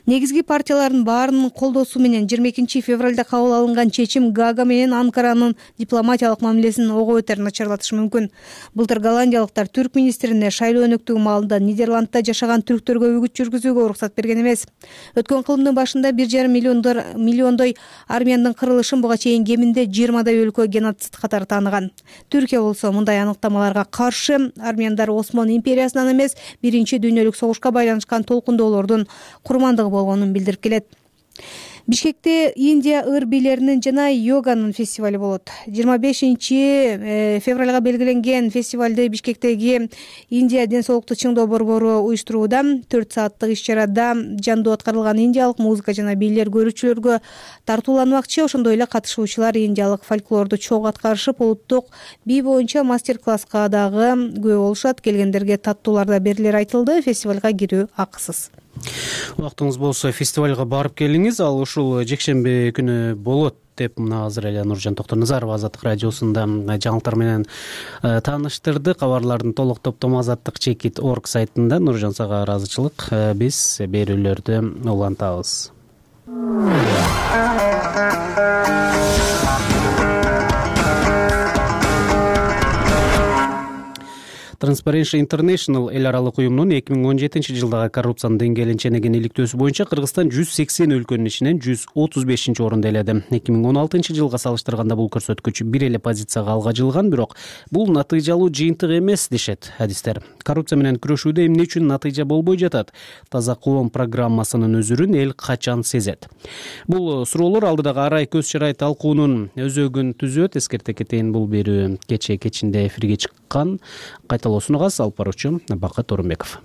Негизги партиялардын баарынын колдоосу менен 22 февралда кабыл алынган чечим Гага менен Анкаранын дипломатиялык мамилесин ого бетер начарлатышы мүмкүн. Былтыр голландиялыктар түрк министрине шайлоо өнөктүгү маалында Нидерландда жашаган түрктөргө үгүт жүргүзүүгө уруксат берген эмес. Өткөн кылымдын башында 1,5 миллиондой армяндын кырылышын буга чейин кеминде 20 өлкө геноцид катары тааныган. Түркия болсо мындай аныктамаларга каршы. Армяндар Осмон империясынан эмес, Биринчи дүйнөлүк согушка байланышкан толкундоолордун курмандыгы болгонун билдирип келет. Бишкекте Индия ыр бийлеринин жана йоганын фестивали болот. 25 февралга белгиленген фестивалды Бишкектеги Индия ден соолукту чыңдоо борбору уюштурууда. 4 сааттык иш-чарада жандуу аткарылган индиялык музыка жана бийлер көрүүчүлөргө тартууланмакчы. Ошондой эле катышуучулар индиялык фольклорду чогуу аткарышып, улуттук бий боюнча мастер-класска дагы күбө болушат. Келгендерге таттуулар да берилери айтылды. Фестивалга кирүү акысыз. Убактыңыз болсо фестивалга барып келиңиз. Ал ушул жекшемби күнү болот деп мына азыр эле Нуржан Токтоназарова Азаттык радиосунда жаңылыктар менен тааныштырды. Кабарлардын толук топтому azattikchekit.org сайтында. Нуржан, сага ыраазычылык. Биз берүүлөрдү улантабыз. Transparency International эл аралык уюмунун 2017-жылдагы коррупциянын деңгээлин ченеген иликтөөсү боюнча Кыргызстан 180 өлкөнүн ичинен 135-орунду ээледи. 2016-жылга салыштырганда бул көрсөткүч бир эле позицияга алга жылган, бирок бул натыйжалуу жыйынтык эмес дешет адистер. Коррупция менен күрөшүүдө эмне үчүн натыйжа болбой жатат? Таза коом программасынын өзүрүн эл качан сезет? Бул суроолор алдыдагы арай көз чарай талкуунун өзөгүн түзөт. Эскерте кетейин, бул берүү кечээ кечинде эфирге чыккан. Кайталоосунугаз алып баруучу Бакыт Орунбеков.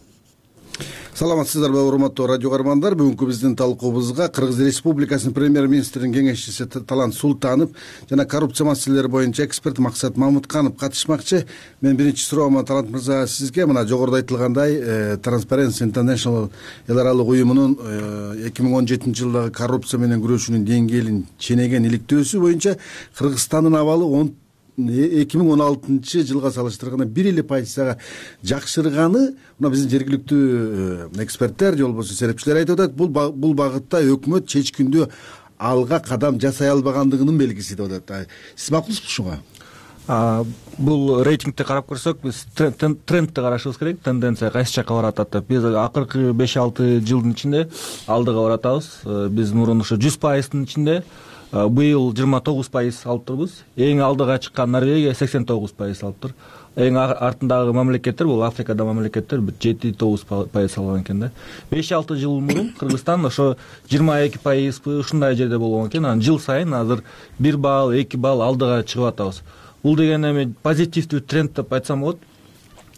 Саламатсыздарбы, урматтуу радио каармандар. Бүгүнкү биздин талкуубузга Кыргыз Республикасынын премьер-министринин кеңешчиси Талант Султанов жана коррупция маселелери боюнча эксперт Максат Мамытканов катышмакчы. Мен биринчи суроомо, Талант мырза, сизге мына жогоруда айтылгандай Transparency International эл аралык уюмунун 2017-жылдагы коррупция менен күрөшүүнүн деңгээлин ченеген иликтөөсү боюнча Кыргызстандын абалы 2016-жылга салыштырганда 1% жакшырганы мына биздин жергиликтүү эксперттер же болбосо серепчилер айтып атат. Бул багытта өкмөт чечкиндүү алга кадам жасай албагандыгынын белгиси деп атат. Сиз макулсузбу ушуга? Бул рейтингти карап көрсөк, биз трендти карашыбыз керек. Тенденция кайсы жакка барат деп. Биз акыркы 5-6 жылдын ичинде алдыга баратабыз. Биз мурун ушу 100%-дын ичинде, быйыл 29% алып турбуз. Эң алдыга чыккан Норвегия 89% алыптыр. Эң артындагы мамлекеттер, бул Африкада мамлекеттер 7-9% алган экен да. 5-6 жыл мурун Кыргызстан ошо 22% ушундай жерде болгон экен. Анан жыл сайын азыр 1 балл, 2 балл алдыга чыгып атабыз. Бул деген эми позитивдүү тренд деп айтсам болот.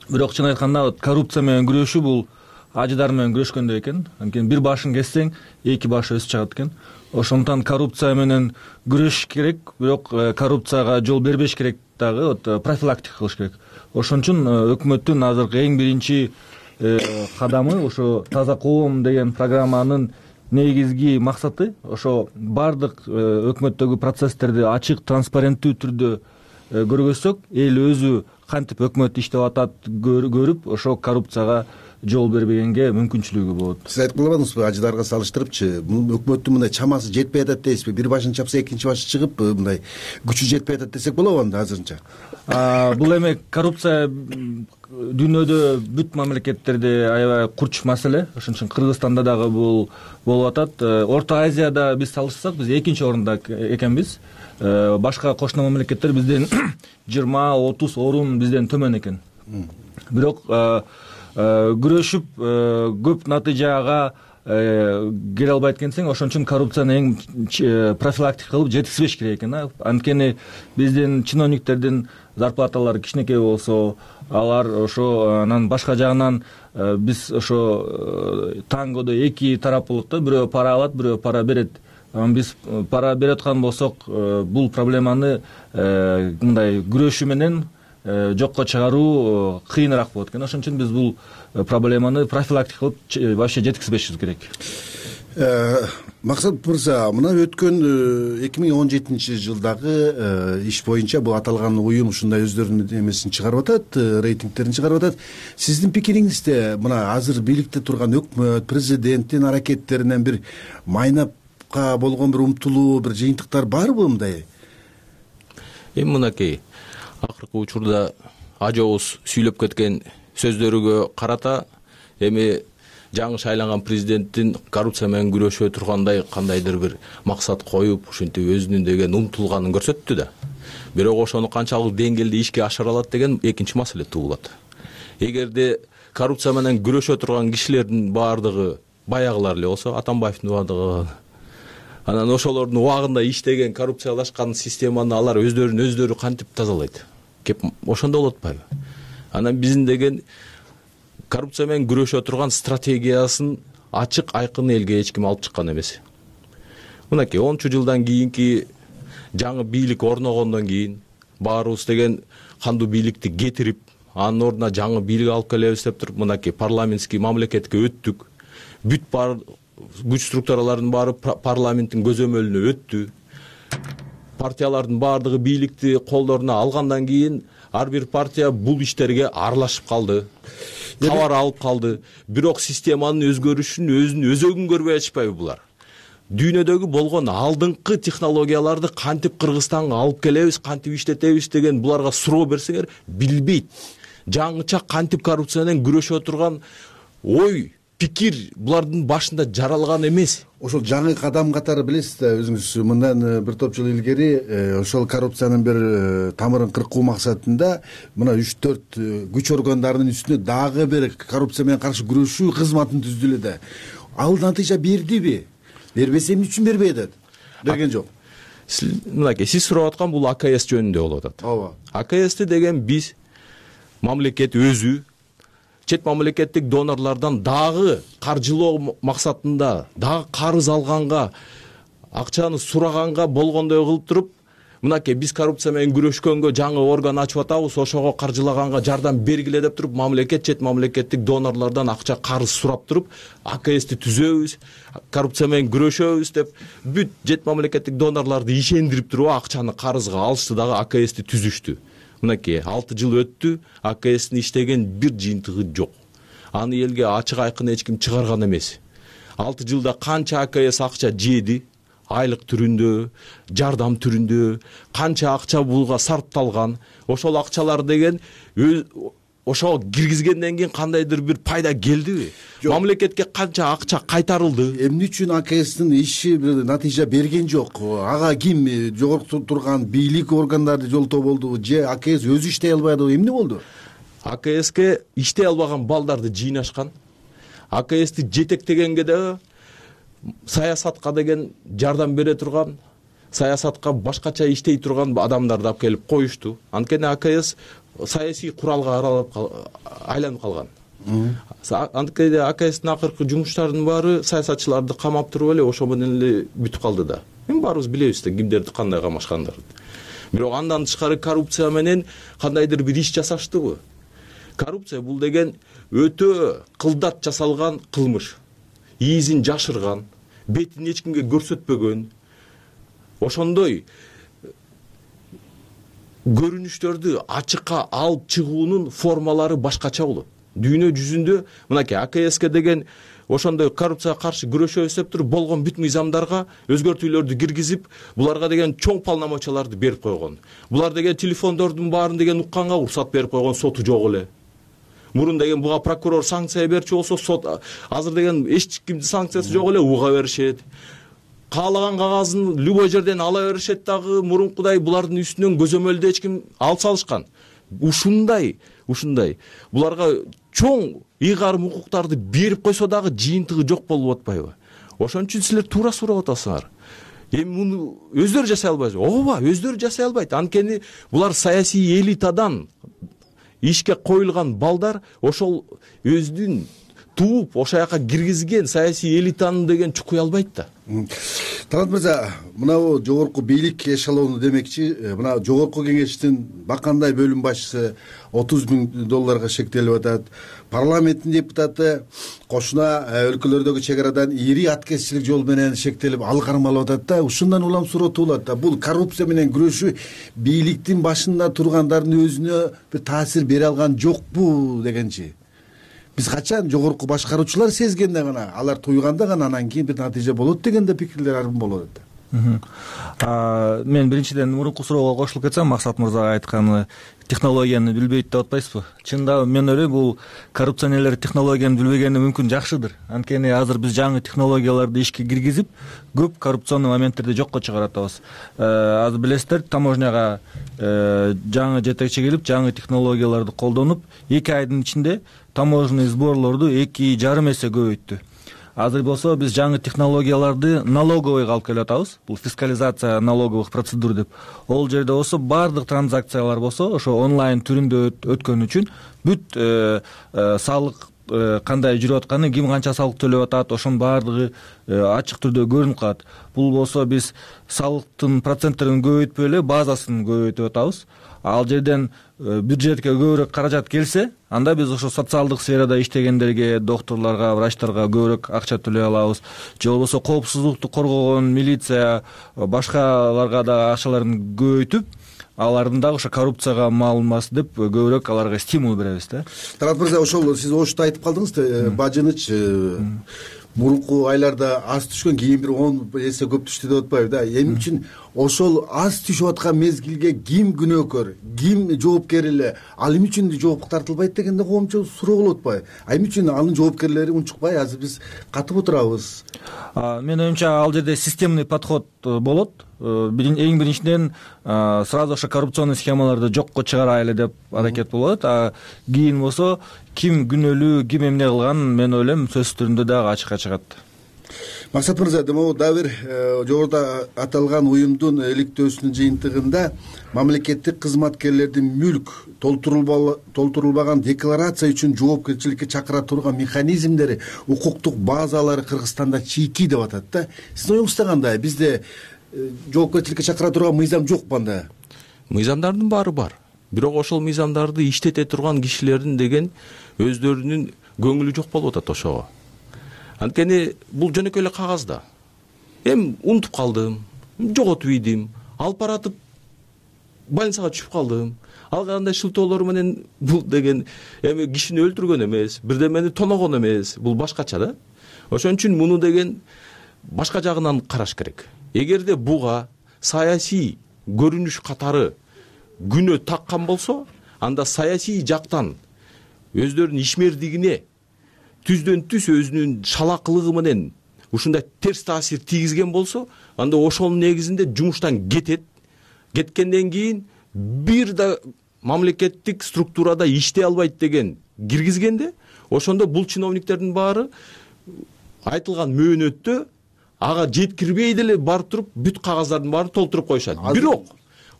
Бирок чын айтканда коррупция менен күрөшүү бул ажыдар менен күрөшкөндөй экен. Анткени бир башын кессең, 2 баш өсүп чыгат экен. Ошондон коррупция менен күрөшүш керек, бирок коррупцияга жол бербеш керек дагы, профилактика кылыш керек. Ошон үчүн өкмөттүн азыркы эң биринчи кадамы ошо таза коом деген программанын негизги максаты ошо бардык өкмөттөгү процесстерди ачык, транспаренттүү түрдө көргөзсөк, эл өзү кантип өкмөт иштеп атат көрүп, ошо коррупцияга жол бербегенге мүмкүнчүлүгү болот. Сиз айтып калбадыңызбы, ажыдарга салыштырыпчы, өкмөттүн мындай чамасы жетпей атат дейсизби? Бир башын чапса, экинчи башы чыгып, мындай күчү жетпей атат десек болобу анда азырынча? Бул эми коррупция дүйнөдө бүт мамлекеттерде аябай курч маселе. Ошон үчүн Кыргызстанда дагы бул болуп атат. Орто Азияда биз салышсак, биз экинчи орунда экенбиз. Башка кошуна мамлекеттер бизден 20-30 орун бизден төмөн экен. Бирок күрөшүп көп натыйжага келе албайт экенсең, ошон үчүн коррупцияны эң профилактика кылып жеткизбеш керек экен. Анткени биздин чиновниктердин зарплаталары кичинекей болсо, алар ошо анан башка жагынан биз ошо тангодо эки тараптуулукта бирөө пара алат, бирөө пара берет. Биз пара берип аткан болсок, бул проблеманы мындай күрөшүү менен жокко чыгаруу кыйыныраак болот экен. Ошон үчүн биз бул проблеманы профилактика кылып вообще жеткизбешибиз керек. Максат мырза, мына өткөн 2017-жылдагы иш боюнча бул аталган уюм ушундай өздөрүнүн эмесин чыгарып атат, рейтингтерин чыгарып атат. Сиздин пикириңизде мына азыр бийликте турган өкмөт, президенттин аракеттеринен бир майнапка болгон бир умтулуу, бир жыйынтыктар барбы мындай? Мынакей акыркы учурда ажообуз сүйлөп кеткен сөздөрүгө карата эми жаңы шайланган президенттин коррупция менен күрөшө тургандай кандайдыр бир максат коюп, ушинтип өзүнүн деген умтулганын көрсөттү да. Бирок ошону канчалык деңгээлде ишке ашыра алат деген экинчи маселе туулат. Эгерде коррупция менен күрөшө турган кишилердин баардыгы баягылар эле болсо, Атамбаевдин убагында анан ошолордун убагында иштеген коррупциялашкан системаны алар өздөрү кантип тазалайт? Кеп ошондо болуп атпайбы? Анан биздин деген коррупция менен күрөшө турган стратегиясын ачык айкын элге эч ким алып чыккан эмес. Мынакей 10 жылдан кийинки жаңы бийлик орногондон кийин баарыбыз деген кандуу бийликти кетирип, анын ордуна жаңы бийлик алып келебиз деп туруп, мынакей парламентский мамлекетке өттүк. Бүт күч структуралардын баары парламенттин көзөмөлүнө өттү. Партиялардын баардыгы бийликти колдоруна алгандан кийин ар бир партия бул иштерге аралашып калды. Кабар алып калды. Бирок системанын өзгөрүшүн өзүнүн өзөгүн көрбөй атышпайбы булар? Дүйнөдөгү болгон алдыңкы технологияларды кантип Кыргызстанга алып келебиз, кантип иштетебиз деген буларга суроо берсеңер билбейт. Жаңыча кантип коррупция менен күрөшө турган ой, пикир булардын башында жаралган эмес. Ошол жаңы кадам катары билесиз да, өзүңүз мындан бир топ жыл илгери ошол коррупциянын бир тамырын кыркуу максатында мына 3-4 күч органдарынын үстүнө дагы бир коррупция менен каршы күрөшүү кызматын түздү эле да. Ал натыйжа бердиби? Бербесе эмне үчүн бербей атат? Берген жок. Мынакей сиз сурап аткан бул АКС жөнүндө болуп атат. Ооба. АКСти деген биз мамлекет өзү чет мамлекеттик донорлордон дагы каржылоо максатында, дагы карыз алганга, акчаны сураганга болгондой кылып туруп, мынакей биз коррупция менен күрөшкөнгө жаңы орган ачып атабыз, ошого каржылаганга жардам бергиле деп туруп, мамлекет чет мамлекеттик донорлордон акча карыз сурап туруп, АКСти түзөбүз, коррупция менен күрөшөбүз деп бүт чет мамлекеттик донорлорду ишендирип туруп акчаны карызга алышты дагы АКСти түзүштү. Мынакей 6 жыл өттү, АКСтин иштеген бир жыйынтыгы жок. Аны элге ачык айкын эч ким чыгарган эмес. 6 жылда канча АКС акча жеди, айлык түрүндө, жардам түрүндө, канча акча булга сарпталган, ошол акчалар деген ошого киргизгенден кийин кандайдыр бир пайда келдиби? Мамлекетке канча акча кайтарылды? Эмне үчүн АКСтин иши бир натыйжа берген жок? Ага ким жогорку турган бийлик органдарды жолтоо болдубу же АКС өзү иштей албадыбы? Эмне болду? АКСке иштей албаган балдарды жыйнашкан. АКСти жетектегенге да саясатка деген жардам бере турган, саясатка башкача иштей турган адамдарды алып келип коюшту. Анткени АКС саясий куралга айланып калган. Анткени АКСтин акыркы жумуштарынын баары саясатчыларды камап туруп эле ошо менен эле бүтүп калды да. Эми баарыбыз билебиз да кимдерди кандай камашкандарын. Бирок андан тышкары коррупция менен кандайдыр бир иш жасаштыбы? Коррупция бул деген өтө кылдат жасалган кылмыш. Ийизин жашырган, бетин эч кимге көрсөтпөгөн. Ошондой көрүнүштөрдү ачыкка алып чыгуунун формалары башкача болот. Дүйнө жүзүндө мынакей АКСке деген ошондой коррупцияга каршы күрөшөбүз деп туруп болгон бүт мыйзамдарга өзгөртүүлөрдү киргизип, буларга деген чоң полномочияларды берип койгон. Булар деген телефондордун баарын деген укканга уруксат берип койгон, соту жок эле. Мурун деген буга прокурор санкция берчү болсо, сот азыр деген эч кимдин санкциясы жок эле, уга беришет. Каалаган кагазын любой жерден ала беришет дагы, мурункудай булардын үстүнөн көзөмөлдү эч ким алып салышкан. Ушундай буларга чоң ыйгарым укуктарды берип койсо дагы жыйынтыгы жок болуп атпайбы? Ошон үчүн силер туура сурап атасыңар. Эми муну өздөрү жасай албайбы? Ооба, өздөрү жасай албайт. Анткени булар саясий элитадан ишке коюлган балдар, ошол өздүн тууп ошол жака киргизген саясий элитаны деген чукуй албайт да. Талант мырза, мынабу жогорку бийлик эшелону демекчи, мына жогорку кеңештин бакандай бөлүм башчысы $30,000 шектелип атат. Парламенттин депутаты кошуна өлкөлөрдөгү чек арадан ири аткезчилик жол менен шектелип, ал кармалып атат да. Ушундан улам суроо туулат да. Бул коррупция менен күрөшүү бийликтин башында тургандардын өзүнө бир таасир бере алган жокпу дегенчи. Биз качан жогорку башкаруучулар сезгенде гана, алар туйганда гана анан кийин бир натыйжа болот дегенде пикирлер арбын болуп атат. Мен биринчиден мурунку суроого кошулуп кетсем, Максат мырзага айтканы технологияны билбейт деп атпайсызбы? Чындап мен ойлойм, бул коррупционерлер технологияны билбегени мүмкүн жакшыдыр. Анткени азыр биз жаңы технологияларды ишке киргизип, көп коррупционный моменттерди жокко чыгарып атабыз. Азыр билесиздер, таможняга жаңы жетекчи келип, жаңы технологияларды колдонуп, 2 айдын ичинде таможенный сборлорду 2,5 эсе көбөйттү. Азыр болсо биз жаңы технологияларды налоговыйга алып келип атабыз. Бул фискализация налоговых процедур деп. Ол жерде болсо бардык транзакциялар болсо ошо онлайн түрүндө өткөн үчүн бүт салык кандай жүрүп атканы, ким канча салык төлөп атат, ошонун бардыгы ачык түрдө көрүнүп калат. Бул болсо биз салыктын проценттерин көбөйтпөй эле базасын көбөйтүп атабыз. Ал жерден бюджетке көбүрөөк каражат келсе, анда биз ошо социалдык сферада иштегендерге, докторлорго, врачтарга көбүрөөк акча төлөй алабыз. Же болбосо коопсуздукту коргогон милиция, башкаларга да акчаларын көбөйтүп, алардын дагы ошо коррупцияга малынмас деп көбүрөөк аларга стимул беребиз да. Талант мырза, ошол сиз ошто айтып калдыңыз, бажыныч мурунку айларда аз түшкөн, кийин бир 10 эсе көп түштү деп атпайбы да. Эмне үчүн ошол аз түшүп аткан мезгилге ким күнөөкөр, ким жоопкер эле, ал эмне үчүн жоопко тартылбайт дегенде коомчу суроо болуп атпайбы? Эмне үчүн анын жоопкерлери унчукпай, азыр биз катып отурабыз? Менин оюмча, ал жерде системный подход болот. Эң биринчиден сразу ошо коррупционный схемаларды жокко чыгарайлы деп аракет болот. Кийин болсо ким күнөөлүү, ким эмне кылган, мен ойлойм сөз түрүндө дагы ачыкка чыгат. Максат мырза, демек дагы бир жогоруда аталган уюмдун иликтөөсүнүн жыйынтыгында мамлекеттик кызматкерлердин мүлк толтурулбаган декларация үчүн жоопкерчиликке чакыра турган механизмдери, укуктук базалары Кыргызстанда чийки деп атат да. Сиздин оюңузда кандай? Бизде жоопкерчиликке чакыра турган мыйзам жокпу анда? Мыйзамдардын баары бар. Бирок ошол мыйзамдарды иштете турган кишилердин деген өздөрүнүн көңүлү жок болуп атат ошого. Анткени бул жөнөкөй эле кагаз да. Эми унутуп калдым, жоготуп ийдим, алып баратып больницага түшүп калдым. Ал кандай шылтоолор менен бул деген эми кишини өлтүргөн эмес, бирдемени тоногон эмес, бул башкача да. Ошон үчүн муну деген башка жагынан караш керек. Эгерде буга саясий көрүнүш катары күнөө таккан болсо, анда саясий жактан өздөрүнүн ишмердигине түздөн түз өзүнүн шалакылыгы менен ушундай терс таасир тийгизген болсо, анда ошонун негизинде жумуштан кетет. Кеткенден кийин бир да мамлекеттик структурада иштей албайт деген киргизгенде, ошондо бул чиновниктердин баары айтылган мөөнөттө ага жеткирбей деле барып туруп бүт кагаздардын баарын толтуруп коюшат. Бирок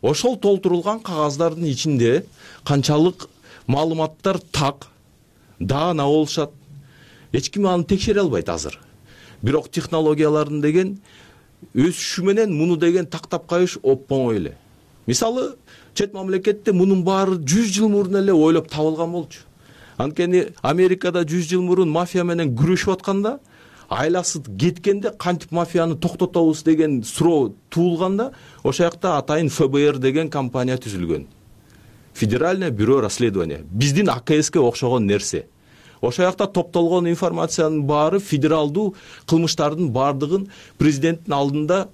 ошол толтурулган кагаздардын ичинде канчалык маалыматтар так, даана болушат, эч ким аны текшере албайт азыр. Бирок технологиялардын деген өсүшү менен муну деген тактап коюш оңой эле. Мисалы, чет мамлекетте мунун баары 100 жыл мурун эле ойлоп табылган болчу. Анткени Америкада 100 жыл мурун мафия менен күрөшүп атканда, айласы кеткенде кантип мафияны токтотобуз деген суроо туулганда, ошол жакта атайын ФБР деген компания түзүлгөн. Федеральное бюро расследования. Биздин АКСке окшогон нерсе. Ошол жакта топтолгон информациянын баары федералдуу кылмыштардын бардыгын президенттин алдында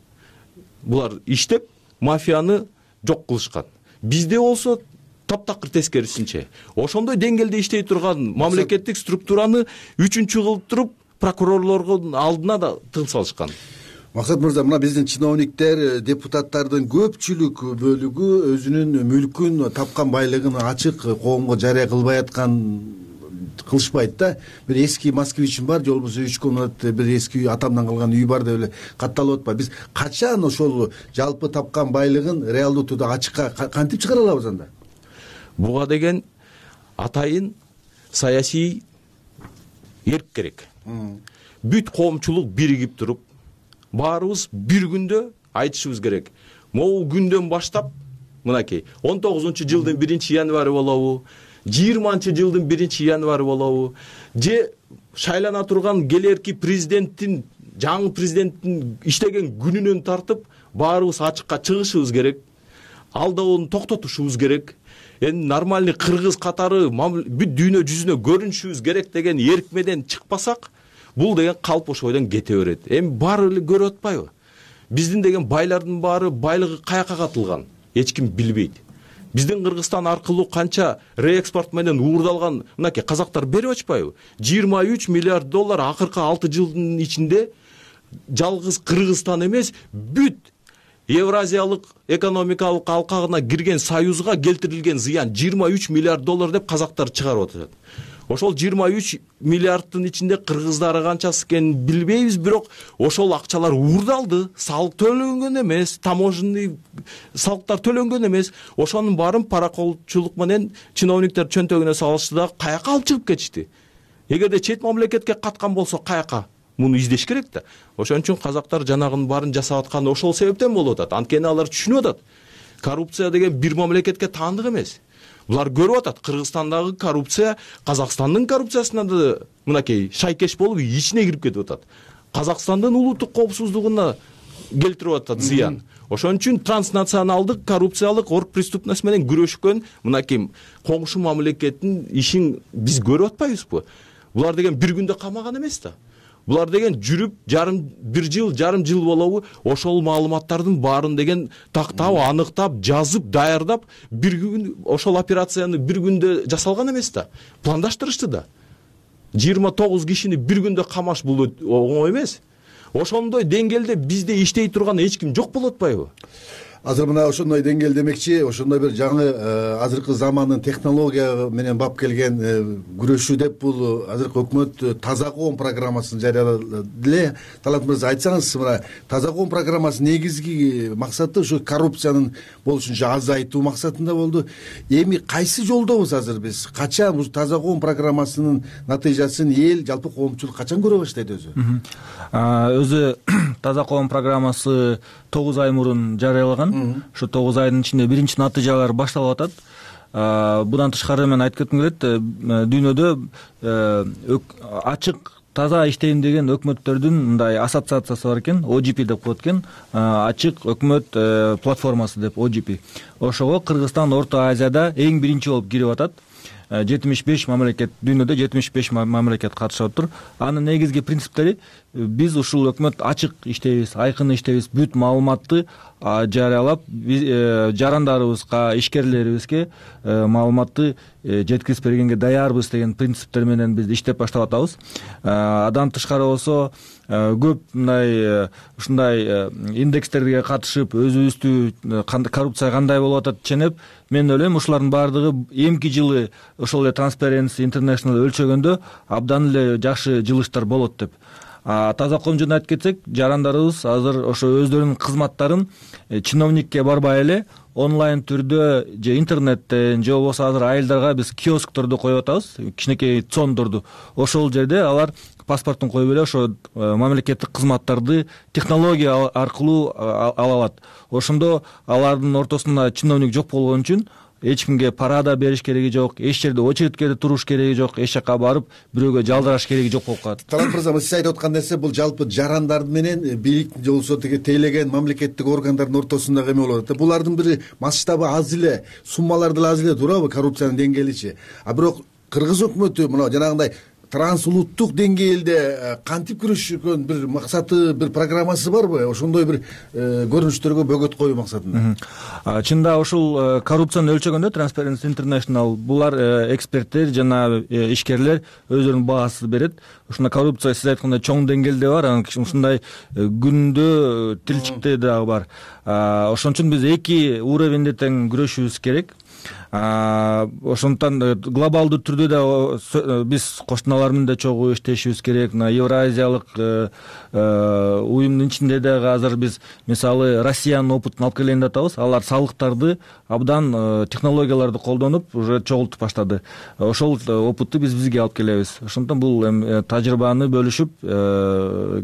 булар иштеп, мафияны жок кылышкан. Бизде болсо таптакыр тескерисинче. Ошондой деңгээлде иштей турган мамлекеттик структураны 3-чү кылып туруп прокурорлордун алдына да тыгын салышкан. Максат мырза, мына биздин чиновниктер, депутаттардын көпчүлүк бөлүгү өзүнүн мүлкүн, тапкан байлыгын ачык коомго жарыя кылбай аткан кылышпайт да. Бир эски москвичим бар же болбосо 3 комнат бир эски үй, атамдан калган үй бар деп эле катталып атпайбы. Биз качан ошол жалпы тапкан байлыгын реалдуу түрдө ачыкка кантип чыгара алабыз анда? Буга деген атайын саясий эрк керек. Бүт коомчулук биригип туруп, баарыбыз бир күндө айтышыбыз керек. Могу күндөн баштап мынакей 19-жылдын 1-январы болобу, 20-жылдын 1-январы болобу, же шайлана турган келерки президенттин, жаңы президенттин иштеген күнүнөн тартып баарыбыз ачыкка чыгышыбыз керек. Алдоону токтотушубуз керек. Эми нормальный кыргыз катары бүт дүйнө жүзүнө көрүнүшүбүз керек деген эрк менен чыкпасак, бул деген калп ошойдон кете берет. Эми баары эле көрүп атпайбы? Биздин деген байлардын баары байлыгы каяка катылган, эч ким билбейт. Биздин Кыргызстан аркылуу канча реэкспорт менен уурдалган мынакей казактар берип атпайбы? 23 миллиард доллар акыркы 6 жылдын ичинде жалгыз Кыргызстан эмес, бүт Евразиялык экономикалык алкагына кирген союзга келтирилген зыян 23 миллиард доллар деп казактар чыгарып атат. Ошол 23 миллиардтын ичинде кыргыздары канчасы экенин билбейбиз, бирок ошол акчалар уурдалды, салык төлөнгөн эмес, таможенный салыктар төлөнгөн эмес. Ошонун баарын параколчулук менен чиновниктер чөнтөгүнө салышты да каяка алып чыгып кетишти. Эгерде чет мамлекетке каткан болсо каяка? Муну издеш керек да. Ошон үчүн казактар жанагынын баарын жасап атканы ошол себептен болуп атат. Анткени алар түшүнүп атат. Коррупция деген бир мамлекетке таандык эмес. Булар көрүп атат, Кыргызстандагы коррупция Казакстандын коррупциясына да мынакей шайкеш болуп ичине кирип кетип атат. Казакстандын улуттук коопсуздугуна келтирип атат зыян. Ошон үчүн транснационалдык коррупциялык оргпреступность менен күрөшкөн мынакей коңшу мамлекеттин ишин биз көрүп атпайбызбы? Булар деген бир күндө камаган эмес да. Булар деген жүрүп жарым жыл болобу ошол маалыматтардын баарын деген тактап, аныктап, жазып, даярдап бир күн ошол операцияны бир күндө жасалган эмес да. Пландаштырышты да. 29 кишини бир күндө камаш бул оңой эмес. Ошондой деңгээлде бизде иштей турган эч ким жок болуп атпайбы? Азыр мына ошондой деңгээл демекчи, ошондой бир жаңы азыркы замандын технология менен бап келген күрөшүү деп бул азыркы өкмөт таза коом программасын жарыялады эле. Талант мырза, айтсаңыз, мына таза коом программасынын негизги максаты ушу коррупциянын болушунча азайтуу максатында болду. Эми кайсы жолдобуз азыр биз? Качан ушу таза коом программасынын натыйжасын эл, жалпы коомчулук качан көрө баштайт өзү? Өзү таза коом программасы 9 ай мурун жарыялаган. Ушу 9 айдын ичинде биринчи натыйжалар башталып атат. Будан тышкары мен айтып кетким келет, дүйнөдө ачык таза иштейм деген өкмөттөрдүн мындай ассоциациясы бар экен, OGP деп коет экен, ачык өкмөт платформасы деп OGP. Ошого Кыргызстан Орто Азияда эң биринчи болуп кирип атат. 75 мамлекет, дүйнөдө 75 мамлекет катышып отур. Анын негизги принциптери: биз ушул өкмөт ачык иштейбиз, айкын иштейбиз, бүт маалыматты жарыялап, жарандарыбызга, ишкерлерибизге маалыматты жеткирип бергенге даярбыз деген принциптер менен биз иштеп баштап атабыз. Адан тышкары болсо көп мындай ушундай индекстерге катышып, өзүбүздү коррупция кандай болуп атат ченеп, мен ойлойм ушулардын баардыгы эмки жылы ошол эле Transparency International өлчөгөндө абдан эле жакшы жылыштар болот деп. Таза коом жөнүндө айтып кетсек, жарандарыбыз азыр ошо өздөрүнүн кызматтарын чиновникке барбай эле онлайн түрдө же интернеттен же болбосо азыр айылдарга биз киоскторду коюп атабыз, кичинекей цондорду. Ошол жерде алар паспортун коюп эле ошо мамлекеттик кызматтарды технология аркылуу ала алат. Ошондо алардын ортосунда чиновник жок болгон үчүн эч кимге пара да бериш кереги жок, эч жерде очередке туруш кереги жок, эч жака барып бирөөгө жалдыраш кереги жок болуп калат. Талант мырза, сиз айтып аткан нерсе бул жалпы жарандар менен бийлик же болбосо тейлеген мамлекеттик органдардын ортосундагы эме болот. Булардын бир масштабы аз эле, суммалар деле аз эле турабы, коррупциянын деңгээличи. Бирок кыргыз өкмөтү мына жанагындай трансулуттук деңгээлде кантип күрөшкөн бир максаты, бир программасы барбы? Ошондой бир көрүнүштөргө бөгөт коюу максатында. Чында ушул коррупцияны өлчөгөндө Transparency International булар эксперттер жана ишкерлер өздөрүнүн баасын берет. Ушундай коррупция сиз айткандай чоң деңгээлде бар, анан ушундай күндө тилчикте дагы бар. Ошон үчүн биз эки уровеньде тең күрөшүбүз керек. Ошондуктан глобалдуу түрдө да биз кошуналар менен да чогуу иштешибиз керек. Мына Евразиялык уюмдун ичинде дагы азыр биз мисалы Россиянын опытын алып келейин деп атабыз. Алар салыктарды абдан технологияларды колдонуп уже чогултуп баштады. Ошол опытты биз бизге алып келебиз. Ошондуктан бул тажрыйбаны бөлүшүп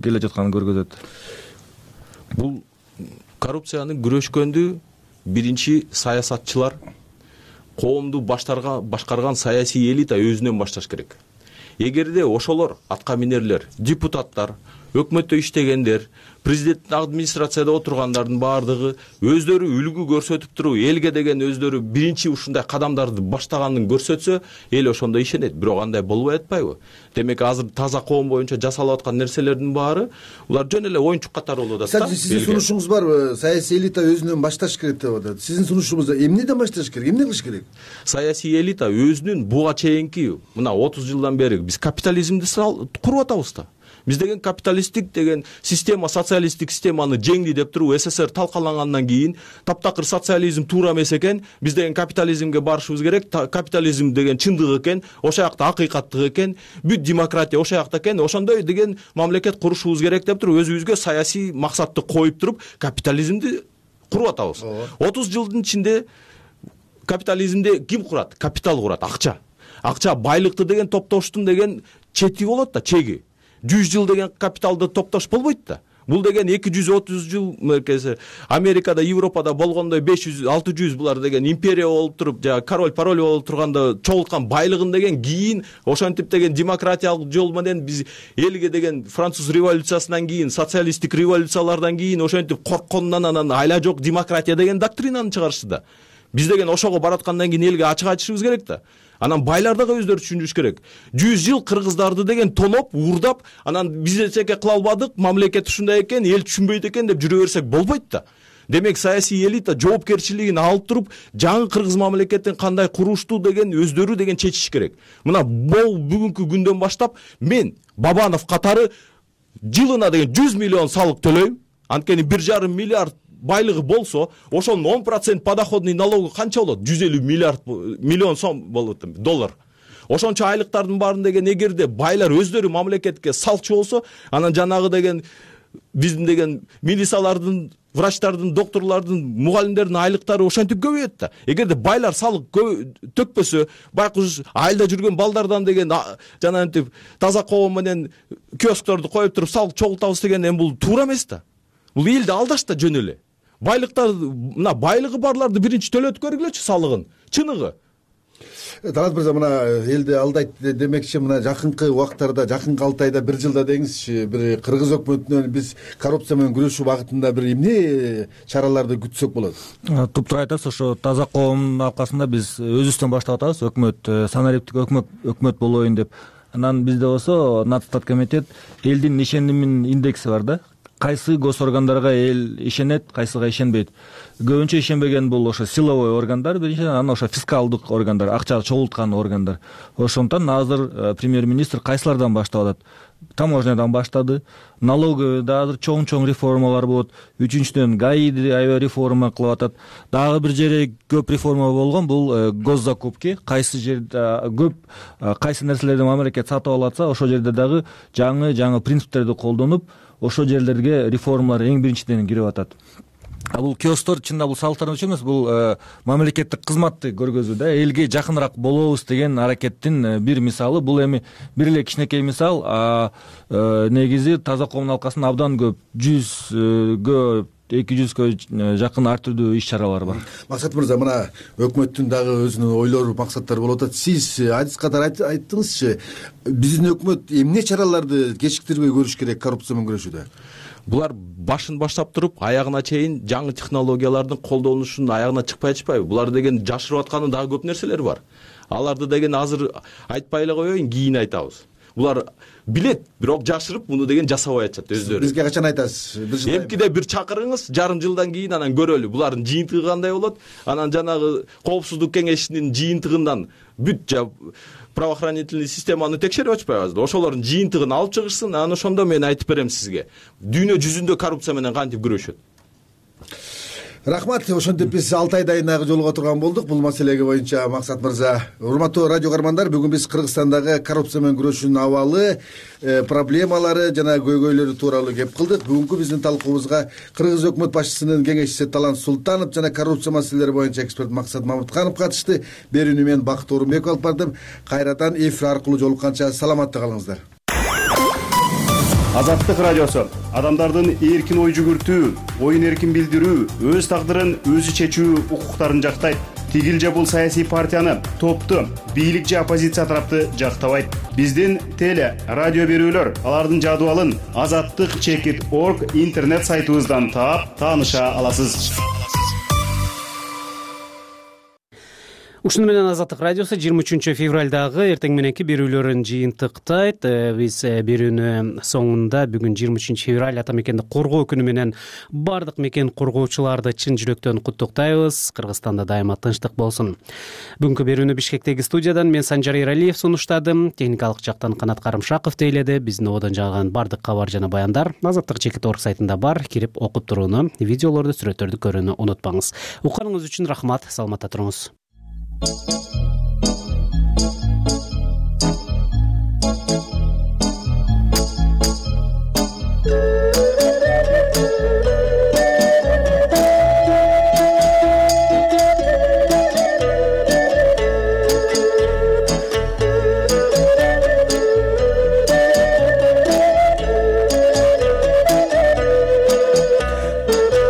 келе жатканын көргөзөт. Бул коррупцияны күрөшкөндү биринчи саясатчылар, коомду башкарган саясий элита өзүнөн башташ керек. Эгерде ошолор атка минерлер, депутаттар, өкмөттө иштегендер, президенттин администрацияда отургандардын баардыгы өздөрү үлгү көрсөтүп туруп, элге деген өздөрү биринчи ушундай кадамдарды баштаганын көрсөтсө, эл ошондо ишенет. Бирок андай болбой атпайбы? Демек азыр таза коом боюнча жасалып аткан нерселердин баары улар жөн эле оюнчук катары болуп атат. Сиздин сунушуңуз барбы? Саясий элита өзүнөн башташ керек деп атат. Сиздин сунушуңузда эмнеден башташ керек? Эмне кылыш керек? Саясий элита өзүнүн буга чейинки мына 30 жылдан бери биз капитализмди куруп атабыз да. Биз деген капиталисттик деген система, социалисттик системаны жеңди деп туруп СССР талкалангандан кийин таптакыр социализм туура эмес экен, биз деген капитализмге барышыбыз керек, капитализм деген чындык экен, ошол жакта акыйкаттык экен, бүт демократия ошол жакта экен, ошондой деген мамлекет курушубуз керек деп туруп өзүбүзгө саясий максатты коюп туруп капитализмди куруп атабыз. 30 жылдын ичинде капитализмди ким курат? Капитал курат, акча. Акча байлыкты деген топтоштун деген чети болот да, чеги. 100 жыл деген капиталды топтош болбойт да. Бул деген 230 жыл Америкада, Европада болгондой 500-600 булар деген империя болуп туруп, жана король болуп турганда чогулткан байлыгын деген кийин ошентип деген демократиялык жол менен биз элге деген француз революциясынан кийин, социалисттик революциялардан кийин ошентип корккондон анан айла жок демократия деген доктринаны чыгарышты да. Биз деген ошого бараткандан кийин элге ачык айтышыбыз керек да. Анан байлар дагы өздөрү түшүнүш керек. 100 жыл кыргыздарды деген тоноп, уурдап, анан биз эчеке кыла албадык, мамлекет ушундай экен, эл түшүнбөйт экен деп жүрө берсек болбойт да. Демек саясий элита жоопкерчилигин алып туруп, жаңы кыргыз мамлекетин кандай курушту деген өздөрү деген чечиш керек. Мына бүгүнкү күндөн баштап мен Бабанов катары жылына деген 100 миллион салык төлөйм. Анткени 1,5 миллиард байлыгы болсо, ошонун 10% подоходный налогу канча болот? 150 миллион сом болот, доллар. Ошончо айлыктардын баарын деген эгерде байлар өздөрү мамлекетке салчу болсо, анан жанагы деген биздин деген милициялардын, врачтардын, докторлордун, мугалимдердин айлыктары ошентип көбөйөт да. Эгерде байлар салык төкпөсө, байкуш айылда жүргөн балдардан деген жанагынтип таза коом менен киоскторду коюп туруп салык чогултабыз деген эми бул туура эмес да. Бул элди алдаш да жөн эле. Байлыктар, мына байлыгы барларды биринчи төлөтүп көргүлөчү салыгын. Чыныгы. Талант мырза, мына элди алдайт демекчи, мына жакынкы убактарда, жакынкы 6 айда, 1 жылда деңизчи, бир кыргыз өкмөтүнөн биз коррупция менен күрөшүү багытында бир эмне чараларды күтсөк болот? Туптуура айтасыз, ошо таза коомдун аркасында биз өзүбүздөн баштап атабыз, өкмөт, санариптик өкмөт болоюн деп. Анан бизде болсо Нацстат комитет элдин ишенимин индекси бар да. Кайсы госоргандарга эл ишенет, кайсыга ишенбейт. Көбүнчө ишенбеген бул ошо силовой органдар, биринчиден, анан ошо фискалдык органдар, акча чогулткан органдар. Ошондуктан азыр премьер-министр кайсылардан баштап атат? Таможнядан баштады, налоговыйда азыр чоң реформалар болот. Үчүнчүдөн ГАИди аябай реформа кылып атат. Дагы бир жерде көп реформа болгон, бул госзакупки. Кайсы жерде көп кайсы нерселерди мамлекет сатып алып атса, ошол жерде дагы жаңы принциптерди колдонуп, ошол жерлерге реформалар эң биринчиден кирип атат. Бул киостор чында бул салыктарды эмес, бул мамлекеттик кызматты көргөзүү да, элге жакыныраак болобуз деген аракеттин бир мисалы. Бул эми бир эле кичинекей мисал, негизи таза коомдун алкасында абдан көп 100гө 200гө жакын ар түрдүү иш чаралар бар. Максат мырза, мына өкмөттүн дагы өзүнүн ойлору, максаттары болуп атат. Сиз адис катары айттыңызчы, биздин өкмөт эмне чараларды кечиктирбей көрүш керек коррупция менен күрөшүүдө? Булар башын баштап туруп, аягына чейин жаңы технологиялардын колдонушунун аягына чыкпай атпайбы? Булар деген жашырып атканы дагы көп нерселер бар. Аларды деген азыр айтпай эле коеюн, кийин айтабыз. Булар билет, бирок жашырып, муну деген жасабай атышат өздөрү. Бизге качан айтасыз? Эмкиде бир чакырыңыз, жарым жылдан кийин анан көрөлү. Булардын жыйынтыгы кандай болот? Анан жанагы коопсуздук кеңешинин жыйынтыгынан бүт правоохранительный системаны текшерип атпайбызбы? Ошолордун жыйынтыгын алып чыгышсын, анан ошондо мен айтып берем сизге. Дүйнө жүзүндө коррупция менен кантип күрөшөт. Рахмат. Ошентип биз 6 ай дайынагы жолуга турган болдук бул маселеге боюнча. Максат мырза, урматтуу радио каармандар, бүгүн биз Кыргызстандагы коррупция менен күрөшүүнүн абалы, проблемалары жана көйгөйлөрү тууралуу кеп кылдык. Бүгүнкү биздин талкуубузга Кыргыз өкмөт башчысынын кеңешчиси Талант Султанов жана коррупция маселелери боюнча эксперт Максат Мамытканов катышты. Берүүнү мен Бакыт Орунбеков алып бардым. Кайрадан эфир аркылуу жолукканча саламатта калыңыздар. Азаттык радиосу адамдардын эркин ой жүгүртүү, оюн эркин билдирүү, өз тагдырын өзү чечүү укуктарын жактайт. Тигил же бул саясий партияны, топту, бийлик же оппозиция тарапты жактабайт. Биздин теле, радио берүүлөр, алардын жадыбалын azattik.org интернет сайтыбыздан таап, тааныша аласыз. Ушуну менен Азаттык радиосу 23 февралдагы эртең мененки берүүлөрүн жыйынтыктайт. Биз берүүнүн соңунда бүгүн 23 февраль ата мекенди коргоо күнү менен бардык мекен коргоочуларды чын жүрөктөн куттуктайбыз. Кыргызстанда дайыма тынчтык болсун. Бүгүнкү берүүнү Бишкектеги студиядан мен Санжар Эралиев сунуштадым. Техникалык жактан Канат Карымшаков тейледи. Биздин ободон жааган бардык кабар жана баяндар azattik.org сайтында бар. Кирип окуп турууну, видеолорду, сүрөттөрдү көрүүнү унутпаңыз. Укканыңыз үчүн рахмат. Саламатта туруңуз.